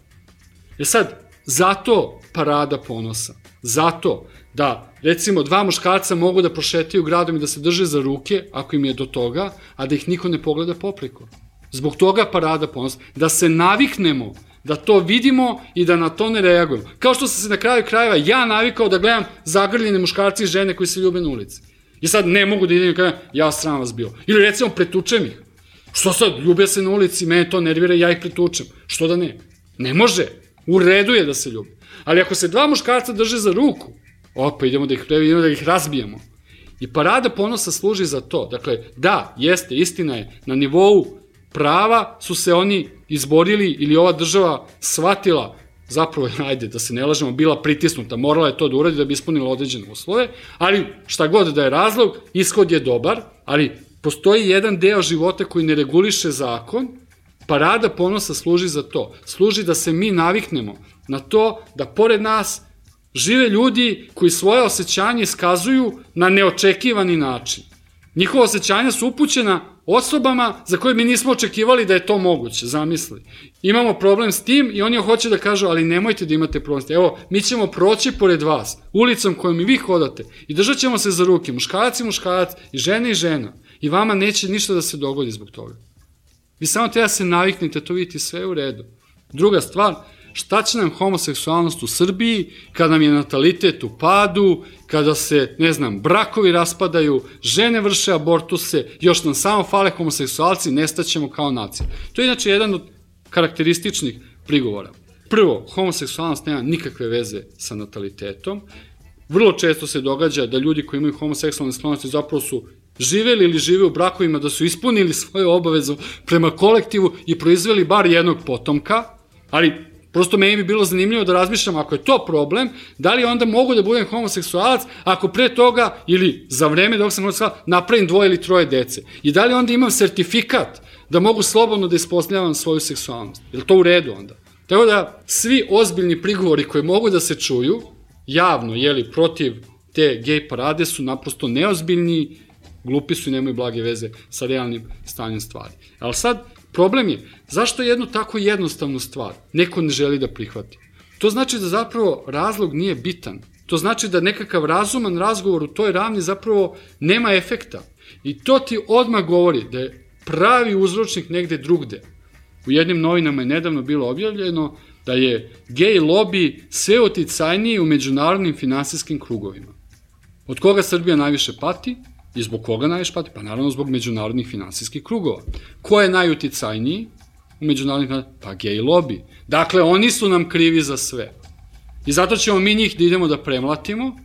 S10: Jer sad, zato parada ponosa. Zato da, recimo, dva muškarca mogu da prošetaju gradom i da se drže za ruke, ako im je do toga, a da ih niko ne pogleda popreko. Zbog toga parada ponosa. Da se naviknemo, da to vidimo i da na to ne reagujemo. Kao što sam se na kraju krajeva ja navikao da gledam zagrljene muškarci i žene koji se ljube na ulici. I sad ne mogu da idem i kažem, ja sram vas bio. Ili recimo, pretučem ih. Što sad, ljube se na ulici, mene to nervira, ja ih pretučem. Što da ne? Ne može. U redu je da se ljubi. Ali ako se dva muškarca drže za ruku, pa idemo da ih idemo da ih razbijemo. I parada ponosa služi za to. Dakle, da, jeste, istina je, na nivou prava su se oni izborili ili ova država shvatila, zapravo, ajde, da se ne lažemo, bila pritisnuta, morala je to da uradi da bi ispunila određene uslove, ali šta god da je razlog, ishod je dobar, ali postoji jedan deo života koji ne reguliše zakon. Parada ponosa služi za to. Služi da se mi naviknemo na to da pored nas žive ljudi koji svoje osjećanje iskazuju na neočekivani način. Njihova osjećanja su upućena osobama za koje mi nismo očekivali da je to moguće, zamisli. Imamo problem s tim i oni hoće da kažu, ali nemojte da imate problem s tim. Evo, mi ćemo proći pored vas, ulicom kojom i vi hodate i držat ćemo se za ruke, muškarac i muškarac i žena i žena. I vama neće ništa da se dogodi zbog toga. Vi samo treba se naviknite, to vidite, sve je u redu. Druga stvar, šta će nam homoseksualnost u Srbiji kada nam je natalitet u padu, kada se, ne znam, brakovi raspadaju, žene vrše abortuse, još nam samo fale homoseksualci, nestaćemo kao nacija. To je inače jedan od karakterističnih prigovora. Prvo, homoseksualnost nema nikakve veze sa natalitetom. Vrlo često se događa da ljudi koji imaju homoseksualne sklonosti zapravo su živeli ili žive u brakovima, da su ispunili svoju obavezu prema kolektivu i proizveli bar jednog potomka, ali prosto meni bi bilo zanimljivo da razmišljam, ako je to problem, da li onda mogu da budem homoseksualac ako pre toga ili za vreme dok sam homoseksualac napravim 2 ili 3 dece. I da li onda imam sertifikat da mogu slobodno da ispostavljam svoju seksualnost. Je li to u redu onda? Tako da svi ozbiljni prigovori koji mogu da se čuju javno, protiv te gej parade su naprosto neozbiljni, glupi su i nemaju blage veze sa realnim stanjem stvari. Ali sad, problem je, zašto jednu tako jednostavnu stvar neko ne želi da prihvati? To znači da zapravo razlog nije bitan. To znači da nekakav razuman razgovor u toj ravni zapravo nema efekta. I to ti odmah govori da je pravi uzročnik negde drugde. U jednim novinama je nedavno bilo objavljeno da je gej lobby sve uticajniji u međunarodnim finansijskim krugovima. Od koga Srbija najviše pati i zbog koga najviše pati? Pa naravno zbog međunarodnih finansijskih krugova. Ko je najuticajniji u međunarodnim finansijskim krugova? Pa gej lobby. Dakle, oni su nam krivi za sve. I zato ćemo mi njih da idemo da premlatimo,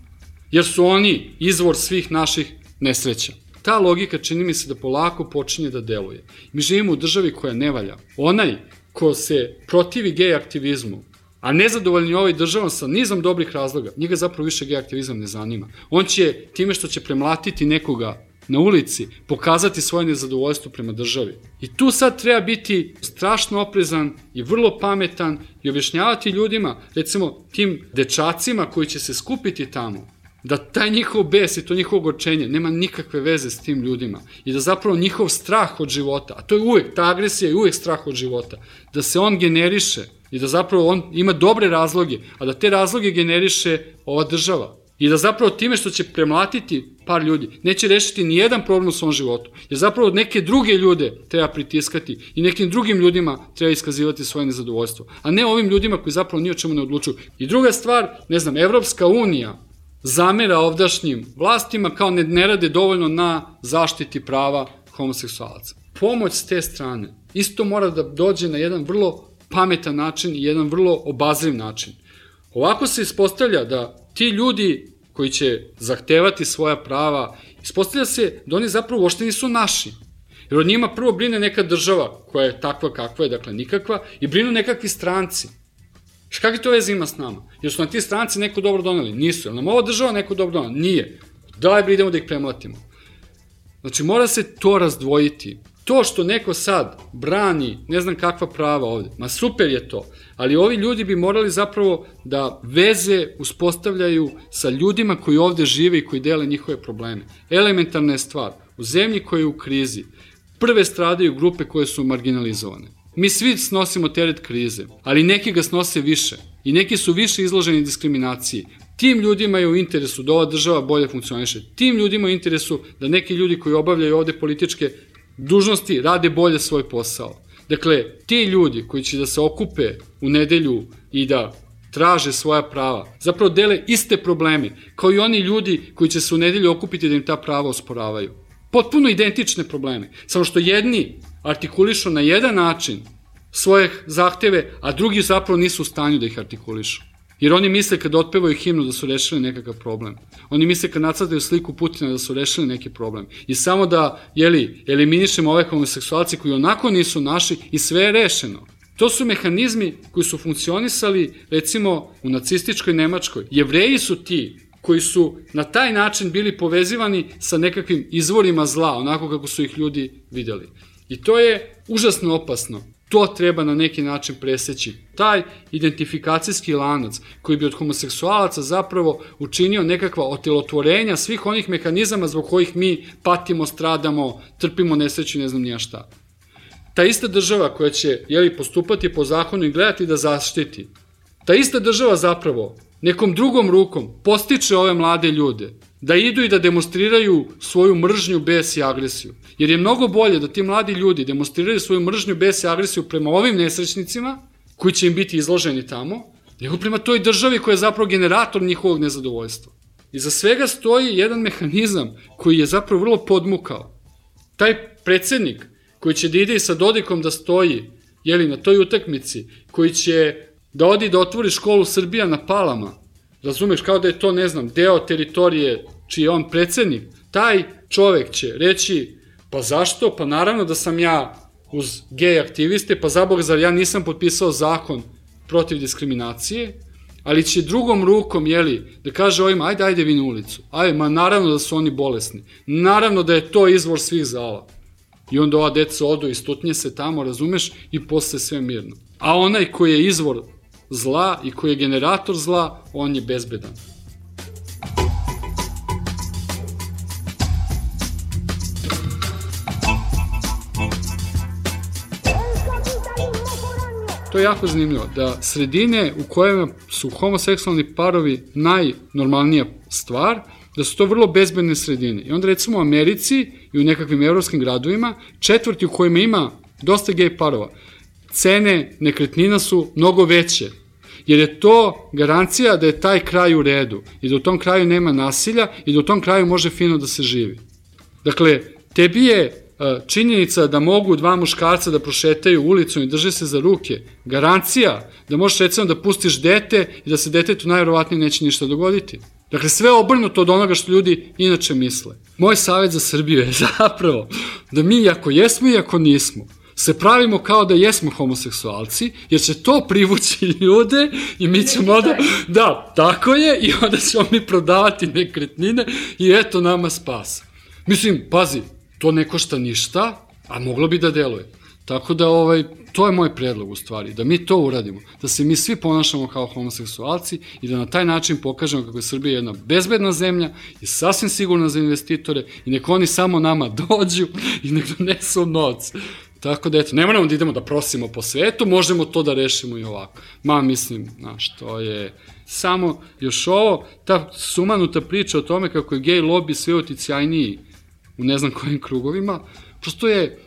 S10: jer su oni izvor svih naših nesreća. Ta logika čini mi se da polako počinje da deluje. Mi živimo u državi koja ne valja. Onaj ko se protivi gej aktivizmu, a nezadovoljni ovoj državom sa nizom dobrih razloga, njega zapravo više gej aktivizam ne zanima. On će time što će premlatiti nekoga na ulici pokazati svoje nezadovoljstvo prema državi. I tu sad treba biti strašno oprezan i vrlo pametan i objašnjavati ljudima, recimo tim dečacima koji će se skupiti tamo, da taj njihov bes i to njihovo ogorčenje nema nikakve veze s tim ljudima i da zapravo njihov strah od života, a to je uvek, ta agresija je uvek strah od života, da se on generiše i da zapravo on ima dobre razloge, a da te razloge generiše ova država. I da zapravo time što će premlatiti par ljudi, neće rešiti ni jedan problem u svom životu. Jer zapravo neke druge ljude treba pritiskati i nekim drugim ljudima treba iskazivati svoje nezadovoljstvo. A ne ovim ljudima koji zapravo ni o čemu ne odlučuju. I druga stvar, Evropska unija zamera ovdašnjim vlastima kao ne rade dovoljno na zaštiti prava homoseksualaca. Pomoć s te strane isto mora da dođe na jedan vrlo pametan način i jedan vrlo obazriv način. Ovako se ispostavlja da ti ljudi koji će zahtevati svoja prava, ispostavlja se da oni zapravo uopšte nisu naši. Jer od njima prvo brine neka država koja je takva kakva je, dakle nikakva, i brinu nekakvi stranci. Kakve to veze ima s nama? Jer su na ti stranci neko dobro doneli? Nisu. Jer nam ova država neko dobro donela? Nije. Daj idemo da ih premlatimo. Znači mora se to razdvojiti. To što neko sad brani ne znam kakva prava ovde, ma super je to, ali ovi ljudi bi morali zapravo da veze uspostavljaju sa ljudima koji ovde žive i koji dele njihove probleme. Elementarna je stvar, u zemlji koja je u krizi, prve stradaju grupe koje su marginalizovane. Mi svi snosimo teret krize, ali neki ga snose više i neki su više izloženi diskriminaciji. Tim ljudima je u interesu da ova država bolje funkcioniše. Tim ljudima je u interesu da neki ljudi koji obavljaju ovde političke dužnosti rade bolje svoj posao. Dakle, ti ljudi koji će da se okupe u nedelju i da traže svoja prava, zapravo dele iste probleme kao i oni ljudi koji će se u nedelju okupiti da im ta prava osporavaju. Potpuno identične probleme, samo što jedni artikulišu na jedan način svoje zahteve, a drugi zapravo nisu u stanju da ih artikulišu. Jer oni misle kada otpevaju himnu da su rešili nekakav problem. Oni misle kada nacrtaju sliku Putina da su rešili neki problem. I samo da, eliminišemo ove homoseksualci koji onako nisu naši i sve je rešeno. To su mehanizmi koji su funkcionisali, recimo, u nacističkoj Nemačkoj. Jevreji su ti koji su na taj način bili povezivani sa nekakvim izvorima zla, onako kako su ih ljudi videli. I to je užasno opasno. To treba na neki način preseći. Taj identifikacijski lanac koji bi od homoseksualaca zapravo učinio nekakva otelotvorenja svih onih mehanizama zbog kojih mi patimo, stradamo, trpimo nesreću i ne znam nija šta. Ta ista država koja će postupati po zakonu i gledati da zaštiti, ta ista država zapravo nekom drugom rukom postiče ove mlade ljude da idu i da demonstriraju svoju mržnju, bes i agresiju. Jer je mnogo bolje da ti mladi ljudi demonstriraju svoju mržnju, bes i agresiju prema ovim nesrećnicima, koji će im biti izloženi tamo, nego prema toj državi koja je zapravo generator njihovog nezadovoljstva. Iza svega stoji jedan mehanizam koji je zapravo vrlo podmukao. Taj predsednik koji će da ide i sa Dodikom da stoji na toj utakmici, koji će da odi da otvori školu Srbija na Palama, razumeš, kao da je to, ne znam, deo teritorije čiji je on predsednik, taj čovek će reći, pa zašto? Pa naravno da sam ja uz gej aktiviste, pa zabog, zar ja nisam potpisao zakon protiv diskriminacije, ali će drugom rukom, da kaže ovima, ajde vi na ulicu, ma naravno da su oni bolesni, naravno da je to izvor svih zala. I onda ova deca odu i stutnje se tamo, razumeš, i posle sve mirno. A onaj koji je izvor zla i koji je generator zla, on je bezbedan. To je jako zanimljivo, da sredine u kojima su homoseksualni parovi najnormalnija stvar, da su to vrlo bezbedne sredine. I onda recimo u Americi i u nekakvim evropskim gradovima, četvrti u kojima ima dosta gej parova, cene nekretnina su mnogo veće, jer je to garancija da je taj kraj u redu i da u tom kraju nema nasilja i da u tom kraju može fino da se živi. Dakle, tebi je činjenica da mogu dva muškarca da prošetaju ulicom i drže se za ruke, garancija da možeš recimo da pustiš dete i da se detetu najverovatnije neće ništa dogoditi. Dakle, sve obrnuto od onoga što ljudi inače misle. Moj savjet za Srbiju je zapravo da mi, ako jesmo i ako nismo, se pravimo kao da jesmo homoseksualci, jer će to privući ljude i mi ćemo onda, da, tako je, i onda ćemo mi prodavati nekretnine i eto nama spas. Mislim, pazi, to ne košta ništa, a moglo bi da deluje. Tako da, to je moj predlog u stvari, da mi to uradimo, da se mi svi ponašamo kao homoseksualci i da na taj način pokažemo kako je Srbija jedna bezbedna zemlja i sasvim sigurna za investitore i nek oni samo nama dođu i nek donesu novac. Tako da, eto, ne moramo da idemo da prosimo po svetu, možemo to da rešimo i ovako. Mislim, to je samo još ovo, ta sumanuta priča o tome kako je gej lobby sve uticajniji u ne znam kojim krugovima, prosto je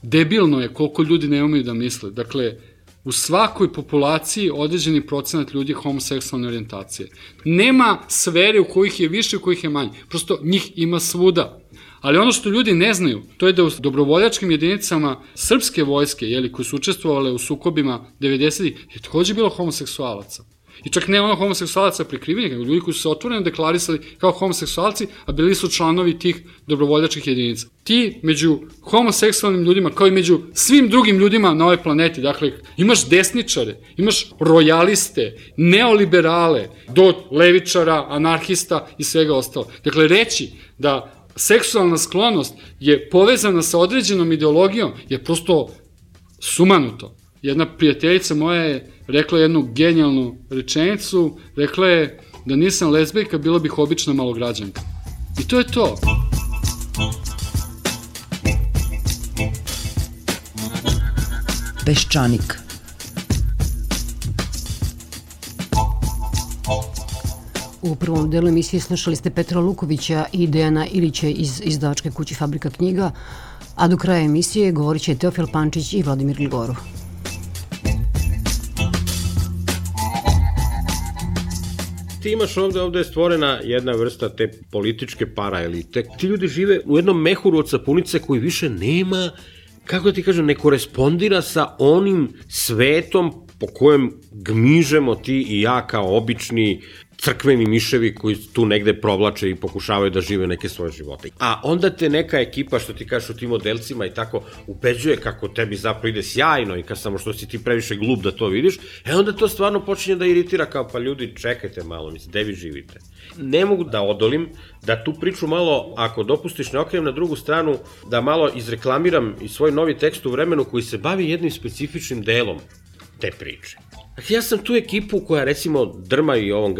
S10: debilno je koliko ljudi ne umeju da misle. Dakle, u svakoj populaciji određeni procenat ljudi je homoseksualne orijentacije. Nema sfere u kojih je više, u kojih je manje. Prosto njih ima svuda. Ali ono što ljudi ne znaju, to je da u dobrovoljačkim jedinicama srpske vojske, koji su učestvovale u sukobima 90-ih, je takođe bilo homoseksualaca. I čak ne ono homoseksualaca prikrivenih, nego ljudi koji su se otvoreno deklarisali kao homoseksualci, a bili su članovi tih dobrovoljačkih jedinica. Ti među homoseksualnim ljudima, kao i među svim drugim ljudima na ovoj planeti, dakle, imaš desničare, imaš rojaliste, neoliberale, do levičara, anarhista i svega ostalo. Dakle, reći da seksualna sklonost je povezana sa određenom ideologijom je prosto sumanuto. Jedna prijateljica moja je rekla jednu genijalnu rečenicu, rekla je da nisam lezbijka, bila bih obična malograđanka. I to je to.
S7: Peščanik.
S8: U prvom delu emisije slušali ste Petra Lukovića i Dejana Ilića iz izdavačke kuće Fabrika knjiga, a do kraja emisije govorit će Teofil Pančić i Vladimir Gligorov.
S11: Ti imaš ovde je stvorena jedna vrsta te političke paraelite. Ti ljudi žive u jednom mehuru od sapunice koji više nema, kako da ti kažem, ne korespondira sa onim svetom po kojem gmižemo ti i ja kao obični crkveni miševi koji tu negde provlače i pokušavaju da žive neke svoje živote. A onda te neka ekipa, što ti kažeš u tim modelcima i tako, ubeđuje kako tebi zapravo ide sjajno i samo što si ti previše glup da to vidiš, onda to stvarno počinje da iritira kao pa ljudi čekajte malo, gde vi živite. Ne mogu da odolim da tu priču malo, ako dopustiš, ne okrenem na drugu stranu, da malo izreklamiram i svoj novi tekst u vremenu koji se bavi jednim specifičnim delom te priče. Dakle, ja sam tu ekipu koja recimo drma i ovom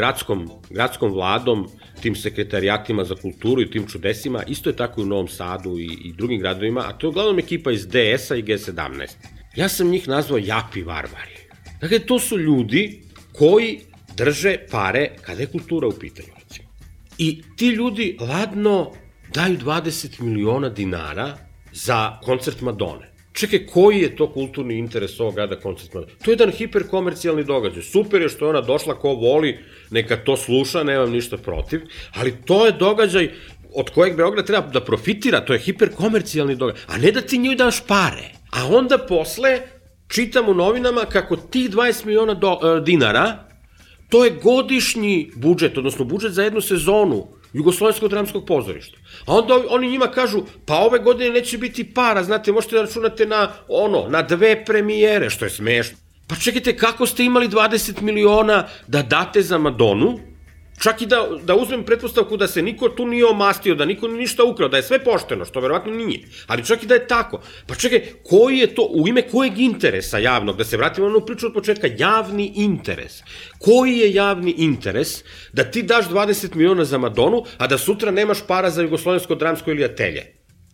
S11: gradskom vladom, tim sekretarijatima za kulturu i tim čudesima, isto je tako i u Novom Sadu i drugim gradovima, a to je uglavnom ekipa iz DS-a i G17. Ja sam njih nazvao japi varvari. Dakle, to su ljudi koji drže pare kada je kultura u pitanju, recimo. I ti ljudi ladno daju 20 miliona dinara za koncert Madone. Čekaj, koji je to kulturni interes ovog grada koncert Madone? To je jedan hiperkomercijalni događaj. Super je što je ona došla, ko voli, neka to sluša, nemam ništa protiv, ali to je događaj od kojeg Beograd treba da profitira, to je hiperkomercijalni događaj, a ne da ti njoj daš pare. A onda posle čitam u novinama kako tih 20 miliona dinara, to je godišnji budžet, odnosno budžet za jednu sezonu Jugoslovenskog dramskog pozorišta. A onda oni njima kažu, pa ove godine neće biti para, znate, možete da računate na 2 premijere, što je smešno. Pa čekajte, kako ste imali 20 miliona da date za Madonu, čak i da uzmem pretpostavku da se niko tu nije omastio, da niko ništa ukrao, da je sve pošteno, što verovatno nije. Ali čak i da je tako. Pa čekaj, koji je to, u ime kojeg interesa javnog, da se vratimo na onu priču od početka, javni interes. Koji je javni interes da ti daš 20 miliona za Madonu, a da sutra nemaš para za Jugoslovensko dramsko ili atelje?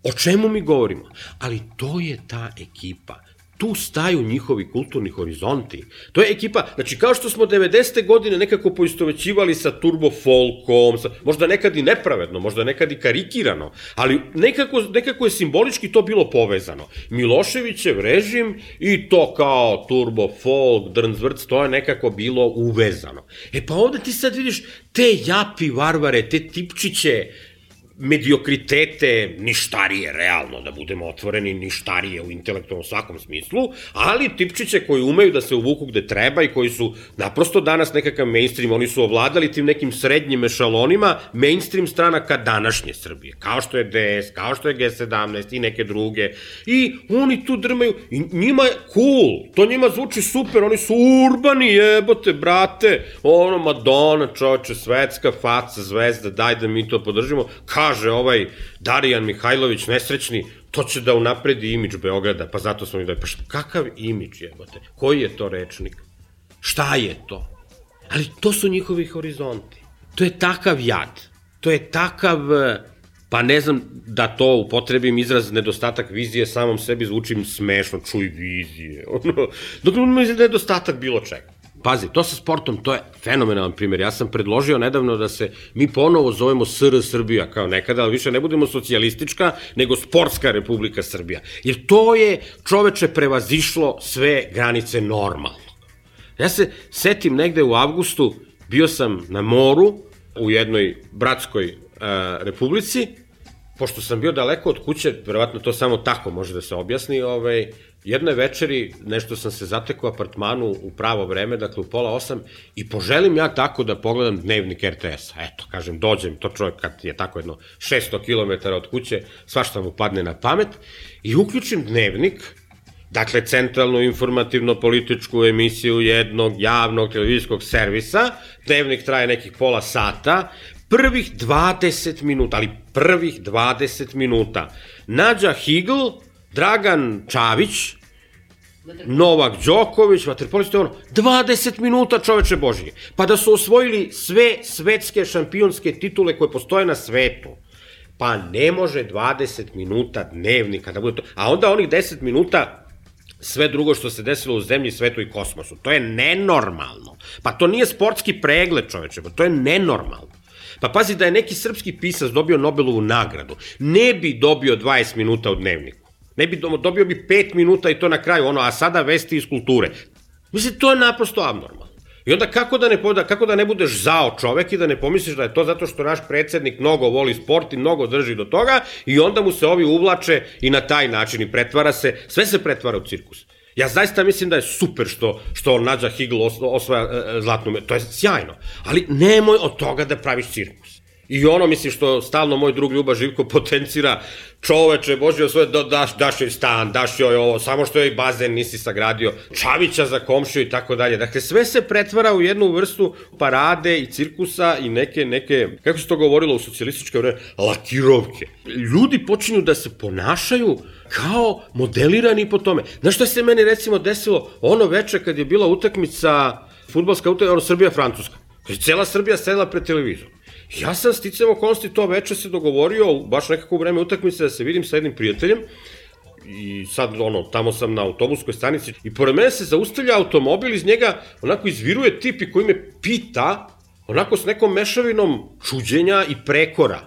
S11: O čemu mi govorimo? Ali to je ta ekipa. Tu staju njihovi kulturni horizonti. To je ekipa, znači kao što smo 90. godine nekako poistovećivali sa turbo folkom, možda nekad i nepravedno, možda nekad i karikirano, ali nekako je simbolički to bilo povezano. Miloševićev režim i to kao turbo folk, drnzvrc, to je nekako bilo uvezano. E pa ovde ti sad vidiš te japi varvare, te tipčiće, mediokritete, ništarije, realno, da budemo otvoreni, ništarije u intelektualnom svakom smislu, ali tipčiće koji umeju da se uvuku gde treba i koji su naprosto danas nekakav mainstream, oni su ovladali tim nekim srednjim ešalonima mainstream stranaka današnje Srbije, kao što je DS, kao što je G17 i neke druge, i oni tu drmaju, i njima je cool, to njima zvuči super, oni su urbani, jebote, brate, Madonna, čoveče, svetska faca, zvezda, daj da mi to podržimo, kaže ovaj Darijan Mihajlović nesrećni, to će da unapredi imidž Beograda, pa zato smo mi dali, pa kakav imidž jebote, koji je to rečnik, šta je to? Ali to su njihovi horizonti, to je takav jad, to je takav, pa ne znam da to upotrebim izraz nedostatak vizije, samom sebi zvučim smešno, čuj vizije, dok mislim da je nedostatak bilo čega. Pazi, to sa sportom, to je fenomenalan primjer. Ja sam predložio nedavno da se mi ponovo zovemo SR Srbija kao nekada, ali više ne budemo socijalistička, nego sportska Republika Srbija. Jer to je, čoveče, prevazišlo sve granice normalnog. Ja se setim negde u avgustu, bio sam na moru u jednoj bratskoj republici, pošto sam bio daleko od kuće, verovatno to samo tako može da se objasni, jednoj večeri nešto sam se zatekao u apartmanu u pravo vreme, dakle u 7:30, i poželim ja tako da pogledam dnevnik RTS-a. Eto, kažem, dođem, to čovjek kad je tako jedno 600 km od kuće, svašta mu padne na pamet, i uključim dnevnik, dakle centralnu informativno-političku emisiju jednog javnog televizijskog servisa, dnevnik traje nekih pola sata, prvih 20 minuta, ali prvih 20 minuta, Nađa Higl, Dragan Čavić, Novak Đoković, vaterpolisti, 20 minuta, čoveče Božije. Pa da su osvojili sve svetske šampionske titule koje postoje na svetu. Pa ne može 20 minuta dnevnika da bude to. A onda onih 10 minuta sve drugo što se desilo u zemlji, svetu i kosmosu. To je nenormalno. Pa to nije sportski pregled, čoveče, pa to je nenormalno. Pa pazi, da je neki srpski pisac dobio Nobelovu nagradu, ne bi dobio 20 minuta u dnevniku. Ne bi dobio bi 5 minuta i to na kraju, a sada vesti iz kulture. Mislim, to je naprosto abnormalno. I onda kako da ne budeš zao čovek i da ne pomisliš da je to zato što naš predsednik mnogo voli sport i mnogo drži do toga, i onda mu se ovi uvlače i na taj način i pretvara se, sve se pretvara u cirkus. Ja zaista mislim da je super što Nađa Higl osvaja zlatnu medalju, to je sjajno, ali nemoj od toga da praviš cirkus. I mislim što stalno moj drug Ljuba Živko potencira, čoveče, Bože, daš joj stan, daš joj ovo, samo što joj bazen nisi sagradio, Čavića za komšiju i tako dalje. Dakle, sve se pretvara u jednu vrstu parade i cirkusa i neke, kako se to govorilo u socijalističke vreme, lakirovke. Ljudi počinju da se ponašaju kao modelirani po tome. Znaš šta se meni recimo desilo ono veče kad je bila utakmica, fudbalska utakmica, Srbija-Francuska. Kad je cela Srbija sedela pred televizorom. Ja sam sticam okolnosti to veče se dogovorio, baš nekako u vreme utakmice, da se vidim sa jednim prijateljem, i sad tamo sam na autobuskoj stanici i pored mene se zaustavlja automobil, iz njega onako izviruje tip i koji me pita, onako s nekom mešavinom čuđenja i prekora.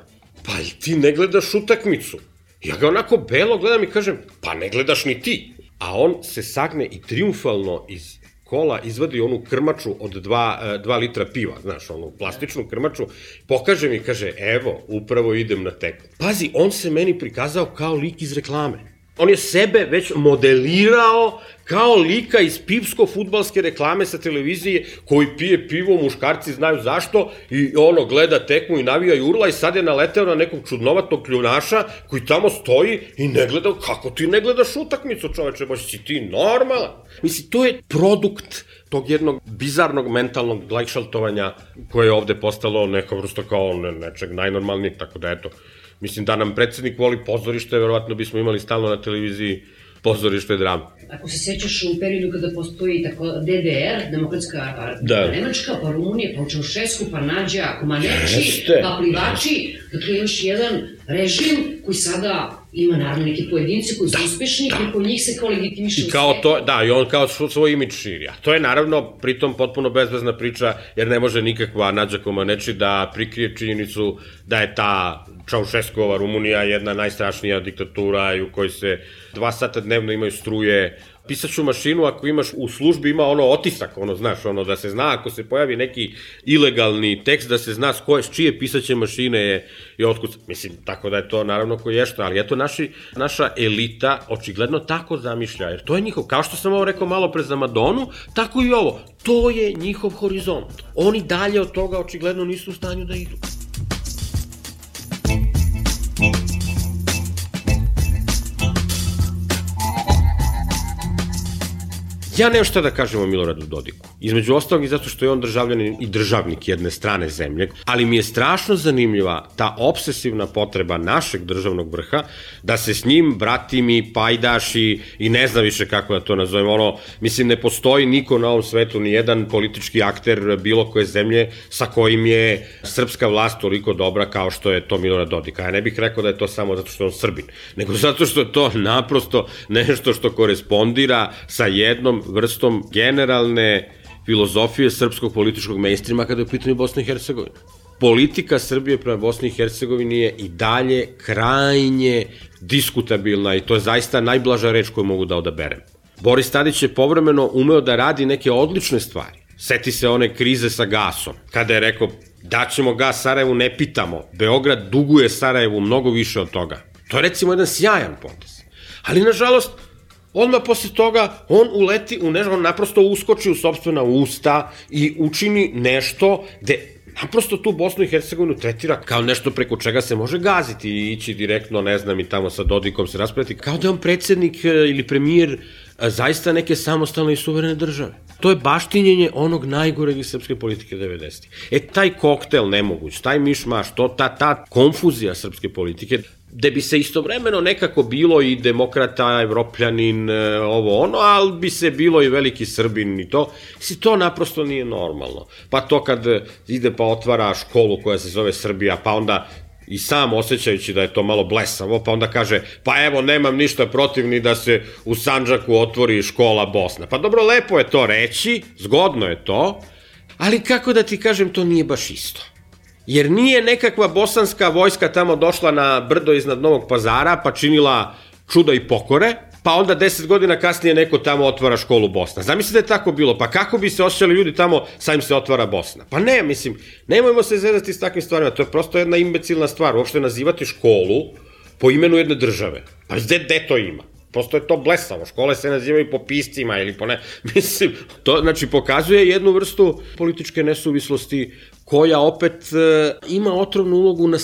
S11: Pa ti ne gledaš utakmicu. Ja ga onako belo gledam i kažem, pa ne gledaš ni ti. A on se sagne i triumfalno iz kola izvadi onu krmaču od 2 litra piva, znaš, onu plastičnu krmaču, pokaže mi i kaže, evo, upravo idem na teku. Pazi, on se meni prikazao kao lik iz reklame. On je sebe već modelirao kao lika iz pivsko-fudbalske reklame sa televizije koji pije pivo, muškarci znaju zašto i gleda tekmu i navija i urla i sad je naleteo na nekog čudnovatog kljunaša koji tamo stoji i ne gleda, kako ti ne gledaš utakmicu, čoveče, baš si ti normalan. Mislim, to je produkt tog jednog bizarnog mentalnog glajšaltovanja koje je ovde postalo neka vrsta kao nečeg najnormalnijeg, tako da eto. Mislim, da nam predsednik voli pozorište, verovatno bismo imali stalno na televiziji pozorište drame.
S8: Ako se sećaš u periodu kada postoji tako DDR, Demokratska Nemačka, pa Rumunija, pa Čaušesku, pa Nađa, Komaneči, pa Plivači, dakle još jedan režim koji sada ima naravno neke pojedince koji su uspešni i po njih se kao legitimiše u svetu.
S11: Da, i on kao svoj imidž širi. A to je naravno pritom potpuno bezvezna priča, jer ne može nikakva Nađa Komaneči da prikrije činjenicu da je ta Čaušeskova Rumunija jedna najstrašnija diktatura i u kojoj se 2 sata dnevno imaju struje. Pisaću mašinu, ako imaš u službi, ima otisak, znaš, da se zna, ako se pojavi neki ilegalni tekst, da se zna s čije pisaće mašine je otkucat. Mislim, tako da je to naravno koji je što, ali eto, naša elita očigledno tako zamišlja, jer to je njihov, kao što sam ovo rekao malo pre za Madonu, tako i ovo, to je njihov horizont. Oni dalje od toga očigledno nisu u stanju da idu. Ja nemam šta da kažem o Miloradu Dodiku. Između ostalog i zato što je on državljanin i državnik jedne strane zemlje, ali mi je strašno zanimljiva ta obsesivna potreba našeg državnog vrha da se s njim bratimi, pajdaši i ne znam više kako da to nazovem. Mislim, ne postoji niko na ovom svetu, ni jedan politički akter bilo koje zemlje sa kojim je srpska vlast toliko dobra kao što je to Milorad Dodik. Ja ne bih rekao da je to samo zato što je on Srbin, nego zato što je to naprosto nešto što korespondira sa jednom vrstom generalne filozofije srpskog političkog mainstreama kada je u pitanju Bosna i Hercegovina. Politika Srbije prema Bosni i Hercegovini je i dalje krajnje diskutabilna i to je zaista najblaža reč koju mogu da odaberem. Boris Tadić je povremeno umeo da radi neke odlične stvari. Seti se one krize sa gasom, kada je rekao daćemo gas Sarajevu, ne pitamo, Beograd duguje Sarajevu mnogo više od toga. To je recimo jedan sjajan potez. Ali nažalost, odmah posle toga on uleti u nešto, on naprosto uskoči u sopstvena usta i učini nešto gde naprosto tu Bosnu i Hercegovinu tretira kao nešto preko čega se može gaziti i ići direktno, ne znam, i tamo sa Dodikom se raspraviti, kao da je on predsednik ili premijer zaista neke samostalne i suverene države. To je baštinjenje onog najgoreg iz srpske politike 90-ih. Taj koktel nemoguć, taj mišmaš, ta konfuzija srpske politike, gde bi se istovremeno nekako bilo i demokrata, evropljanin, ali bi se bilo i veliki Srbin i to. To naprosto nije normalno. Pa to kad ide pa otvara školu koja se zove Srbija, pa onda i sam osjećajući da je to malo blesavo, pa onda kaže, pa evo, nemam ništa protiv ni da se u Sandžaku otvori škola Bosna. Pa dobro, lepo je to reći, zgodno je to, ali kako da ti kažem, to nije baš isto. Jer nije nekakva bosanska vojska tamo došla na brdo iznad Novog Pazara pa činila čuda i pokore, pa onda 10 godina kasnije neko tamo otvara školu Bosna. Zamislite da je tako bilo, pa kako bi se osjećali ljudi tamo, sad im se otvara Bosna? Pa ne, mislim, nemojmo se zezati s takvim stvarima, to je prosto jedna imbecilna stvar, uopšte nazivati školu po imenu jedne države. Pa gde to ima? Prosto je to blesavo, škole se nazivaju po piscima ili po ne, mislim, to znači pokazuje jednu vrstu političke nesuvislosti koja opet ima otrovnu ulogu na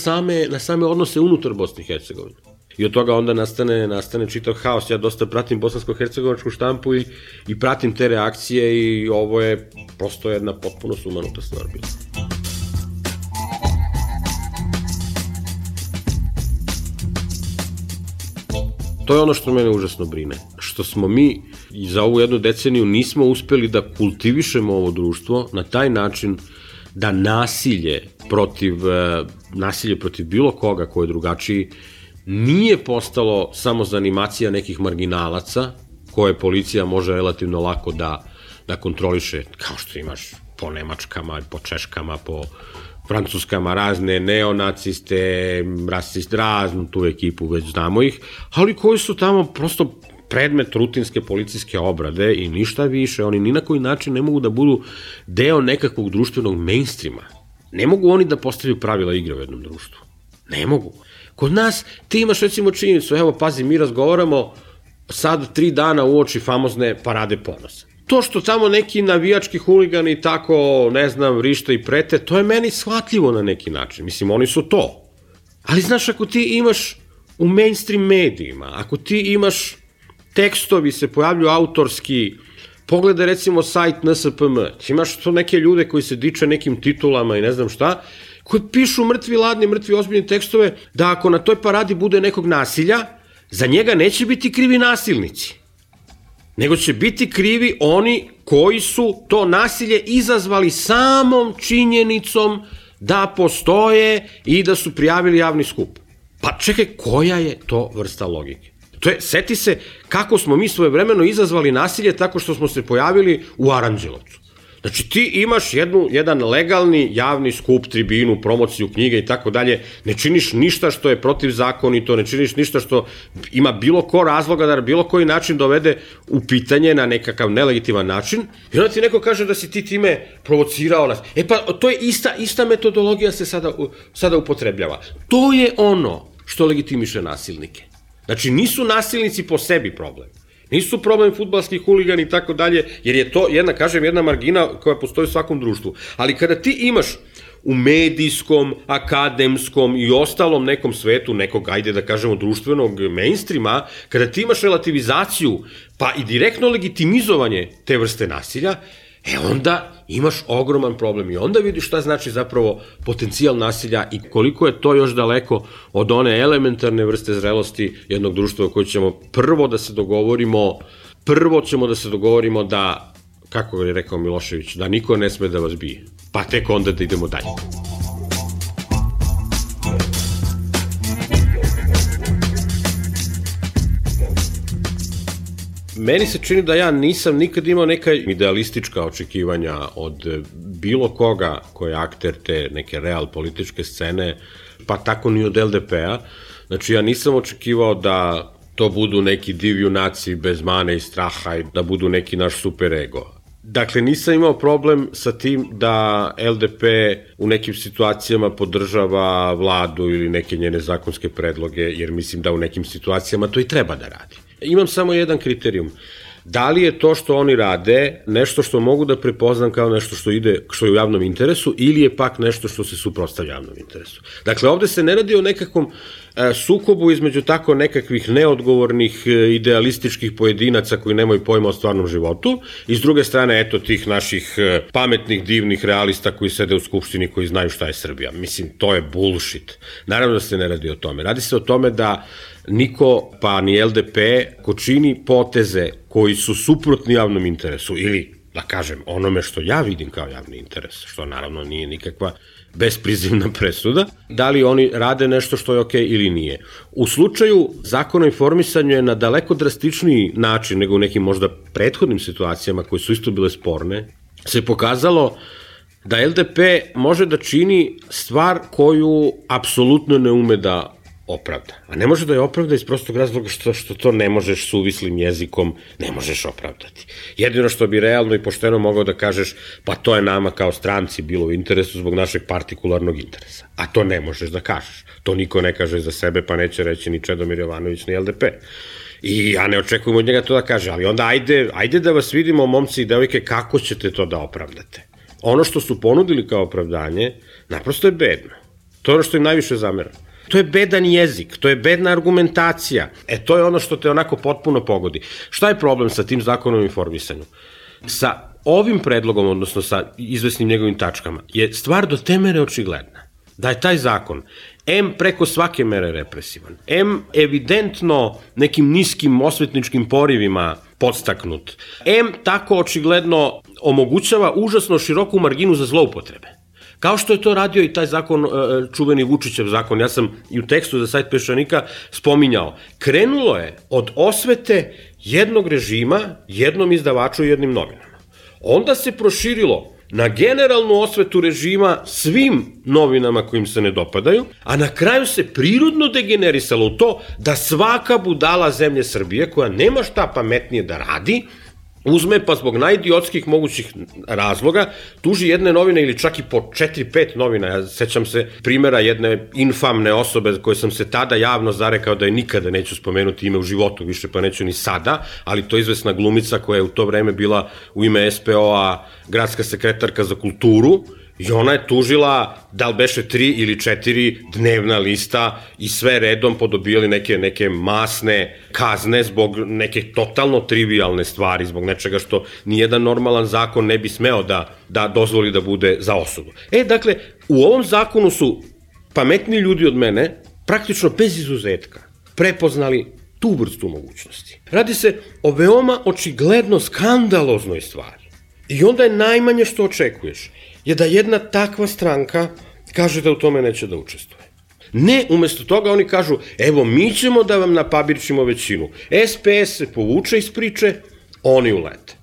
S11: same odnose unutar Bosne i Hercegovine. I od toga onda nastane čitav haos. Ja dosta pratim bosansko-hercegovačku štampu i pratim te reakcije i ovo je prosto jedna potpuno sumanuta stvar bila. To je ono što mene užasno brine. Što smo mi i za ovu jednu deceniju nismo uspeli da kultivišemo ovo društvo na taj način da nasilje protiv bilo koga ko je drugačiji nije postalo samo zanimacija nekih marginalaca koje policija može relativno lako da kontroliše, kao što imaš po Nemačkama, po Češkama, po Francuskama, razne neonaciste, rasiste, raznu tu ekipu, već znamo ih, ali koji su tamo prosto predmet rutinske policijske obrade i ništa više. Oni ni na koji način ne mogu da budu deo nekakvog društvenog mainstreama. Ne mogu oni da postavljaju pravila igre u jednom društvu. Ne mogu. Kod nas ti imaš recimo činjenicu, evo pazi, mi razgovaramo sad 3 dana uoči famozne Parade ponosa. To što tamo neki navijački huligani tako, ne znam, vrište i prete, to je meni shvatljivo na neki način. Mislim, oni su to. Ali znaš, ako ti imaš u mainstream medijima, ako ti imaš tekstovi se pojavljuju autorski, pogledaj recimo sajt NSPM, imaš to neke ljude koji se diče nekim titulama i ne znam šta, koji pišu mrtvi ladni, mrtvi ozbiljni tekstove, da ako na toj paradi bude nekog nasilja, za njega neće biti krivi nasilnici, nego će biti krivi oni koji su to nasilje izazvali samom činjenicom da postoje i da su prijavili javni skup. Pa čekaj, koja je to vrsta logike? To je, seti se kako smo mi svojevremeno izazvali nasilje tako što smo se pojavili u Aranđelovcu. Znači ti imaš jedan legalni javni skup, tribinu, promociju knjige i tako dalje, ne činiš ništa što je protivzakonito, ne činiš ništa što ima bilo ko razloga da na bilo koji način dovede u pitanje na nekakav nelegitiman način i onda ti neko kaže da si ti time provocirao nas. E pa to je ista metodologija se sada upotrebljava. To je ono što legitimiše nasilnike. Znači, nisu nasilnici po sebi problem. Nisu problem fudbalskih huligani i tako dalje, jer je to jedna margina koja postoji u svakom društvu. Ali kada ti imaš u medijskom, akademskom i ostalom nekom svetu, nekog, ajde da kažemo, društvenog mainstreama, kada ti imaš relativizaciju, pa i direktno legitimizovanje te vrste nasilja, onda imaš ogroman problem i onda vidiš šta znači zapravo potencijal nasilja i koliko je to još daleko od one elementarne vrste zrelosti jednog društva u kojoj ćemo prvo da se dogovorimo da, kako je rekao Milošević, da niko ne sme da vas bije, pa tek onda da idemo dalje. Meni se čini da ja nisam nikad imao neka idealistička očekivanja od bilo koga koji je akter te neke real političke scene, pa tako ni od LDP-a. Znači ja nisam očekivao da to budu neki div junaci bez mane i straha i da budu neki naš super ego. Dakle, nisam imao problem sa tim da LDP u nekim situacijama podržava vladu ili neke njene zakonske predloge, jer mislim da u nekim situacijama to i treba da radi. Imam samo jedan kriterijum. Da li je to što oni rade nešto što mogu da prepoznam kao nešto što je u javnom interesu ili je pak nešto što se suprotstavlja javnom interesu? Dakle, ovde se ne radi o nekakvom sukobu između tako nekakvih neodgovornih idealističkih pojedinaca koji nemaju pojma o stvarnom životu i s druge strane, eto, tih naših pametnih, divnih realista koji sede u Skupštini koji znaju šta je Srbija. Mislim, to je bullshit. Naravno da se ne radi o tome. Radi se o tome da niko, pa ni LDP, ko čini poteze koji su suprotni javnom interesu ili, da kažem, onome što ja vidim kao javni interes, što naravno nije nikakva besprizivna presuda, da li oni rade nešto što je okej ili nije. U slučaju Zakona o informisanju je na daleko drastičniji način nego u nekim možda prethodnim situacijama koje su isto bile sporne, se pokazalo da LDP može da čini stvar koju apsolutno ne ume da opravda. A ne može da je opravda iz prostog razloga što to ne možeš suvislim jezikom, ne možeš opravdati. Jedino što bi realno i pošteno mogao da kažeš, pa to je nama kao stranci bilo u interesu zbog našeg partikularnog interesa. A to ne možeš da kažeš. To niko ne kaže za sebe, pa neće reći ni Čedomir Jovanović, ni LDP. I ja ne očekujem od njega to da kaže, ali onda ajde da vas vidimo, momci i devojke, kako ćete to da opravdate. Ono što su ponudili kao opravdanje, naprosto je bedno. To je ono što im najviše zamera. To je bedan jezik, to je bedna argumentacija. To je ono što te onako potpuno pogodi. Šta je problem sa tim zakonom o informisanju? Sa ovim predlogom, odnosno sa izvesnim njegovim tačkama, je stvar do te mere očigledna. Da je taj zakon M preko svake mere represivan, M evidentno nekim niskim osvetničkim porivima podstaknut, M tako očigledno omogućava užasno široku marginu za zloupotrebe. Kao što je to radio i taj zakon, čuveni Vučićev zakon, ja sam i u tekstu za sajt Peščanika spominjao, krenulo je od osvete jednog režima, jednom izdavaču i jednim novinama. Onda se proširilo na generalnu osvetu režima svim novinama kojim se ne dopadaju, a na kraju se prirodno degenerisalo u to da svaka budala zemlje Srbije, koja nema šta pametnije da radi, uzme pa zbog najidiotskih mogućih razloga tuži jedne novine ili čak i po 4-5 novina. Ja sećam se primjera jedne infamne osobe koje sam se tada javno zarekao da je nikada neću spomenuti ime u životu više, pa neću ni sada, ali to je izvesna glumica koja je u to vreme bila u ime SPO-a gradska sekretarka za kulturu, i ona je tužila, da li beše 3 ili 4 dnevna lista i sve redom podobijali neke masne kazne zbog neke totalno trivialne stvari, zbog nečega što nijedan normalan zakon ne bi smeo da dozvoli da bude za osudu. Dakle, u ovom zakonu su pametni ljudi od mene, praktično bez izuzetka, prepoznali tu vrstu mogućnosti. Radi se o veoma očigledno skandaloznoj stvari. I onda je najmanje što očekuješ je da jedna takva stranka kaže da u tome neće da učestvuje. Ne, umesto toga oni kažu, evo mi ćemo da vam napabirčimo većinu. SPS se povuče iz priče, oni ulete.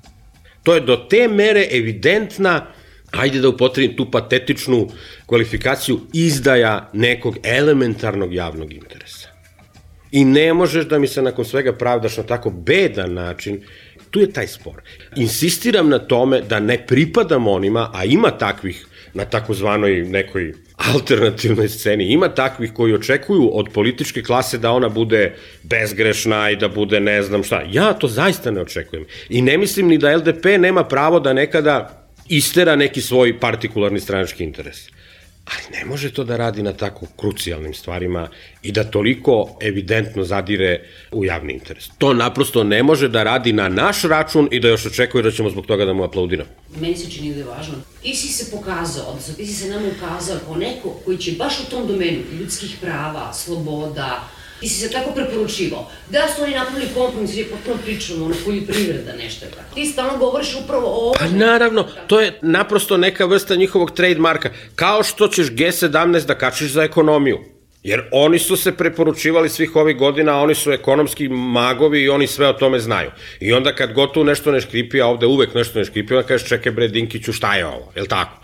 S11: To je do te mere evidentna, ajde da upotrebim tu patetičnu kvalifikaciju, izdaja nekog elementarnog javnog interesa. I ne možeš da mi se nakon svega pravdaš na tako bedan način. Tu je taj spor. Insistiram na tome da ne pripadam onima, a ima takvih na takozvanoj nekoj alternativnoj sceni, ima takvih koji očekuju od političke klase da ona bude bezgrešna i da bude ne znam šta. Ja to zaista ne očekujem. I ne mislim ni da LDP nema pravo da nekada istera neki svoj partikularni stranački interes. Ali ne može to da radi na tako krucijalnim stvarima i da toliko evidentno zadire u javni interes. To naprosto ne može da radi na naš račun i da još očekuje da ćemo zbog toga da mu aplaudiramo.
S8: Meni se čini da je važno. Ti si se pokazao, odnosno ti si se nama ukazao kao neko koji će baš u tom domenu ljudskih prava, sloboda, ti si se tako preporučivao. Da su oni napravili kompromis, jer je potpuno pričamo, poljoprivreda, nešto je tako. Ti stalno govoriš upravo o ovom.
S11: Pa naravno, to je naprosto neka vrsta njihovog trademarka. Kao što ćeš G17 da kačiš za ekonomiju. Jer oni su se preporučivali svih ovih godina, oni su ekonomski magovi i oni sve o tome znaju. I onda kad gotovo nešto ne škripi, a ovde uvek nešto ne škripi, onda kažeš čekaj bre Dinkiću šta je ovo, je li tako?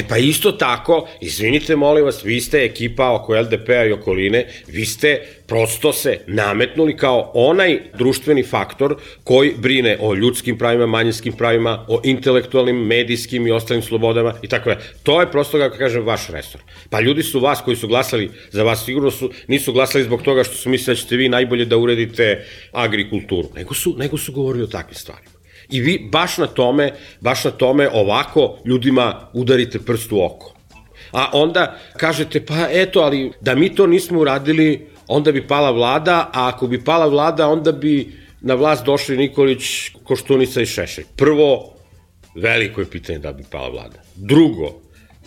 S11: Pa isto tako, izvinite molim vas, vi ste ekipa oko LDP-a i okoline, vi ste prosto se nametnuli kao onaj društveni faktor koji brine o ljudskim pravima, manjinskim pravima, o intelektualnim, medijskim i ostalim slobodama i tako da. To je prosto, kako kažem, vaš resor. Pa ljudi su vas koji su glasali za vas, sigurno nisu glasali zbog toga što su mislili da ćete vi najbolje da uredite agrikulturu, nego su govorili o takvim stvarima. I vi baš na tome ovako ljudima udarite prst u oko. A onda kažete, pa eto, ali da mi to nismo uradili, onda bi pala vlada, a ako bi pala vlada, onda bi na vlast došli Nikolić, Koštunica i Šešelj. Prvo, veliko je pitanje da bi pala vlada. Drugo,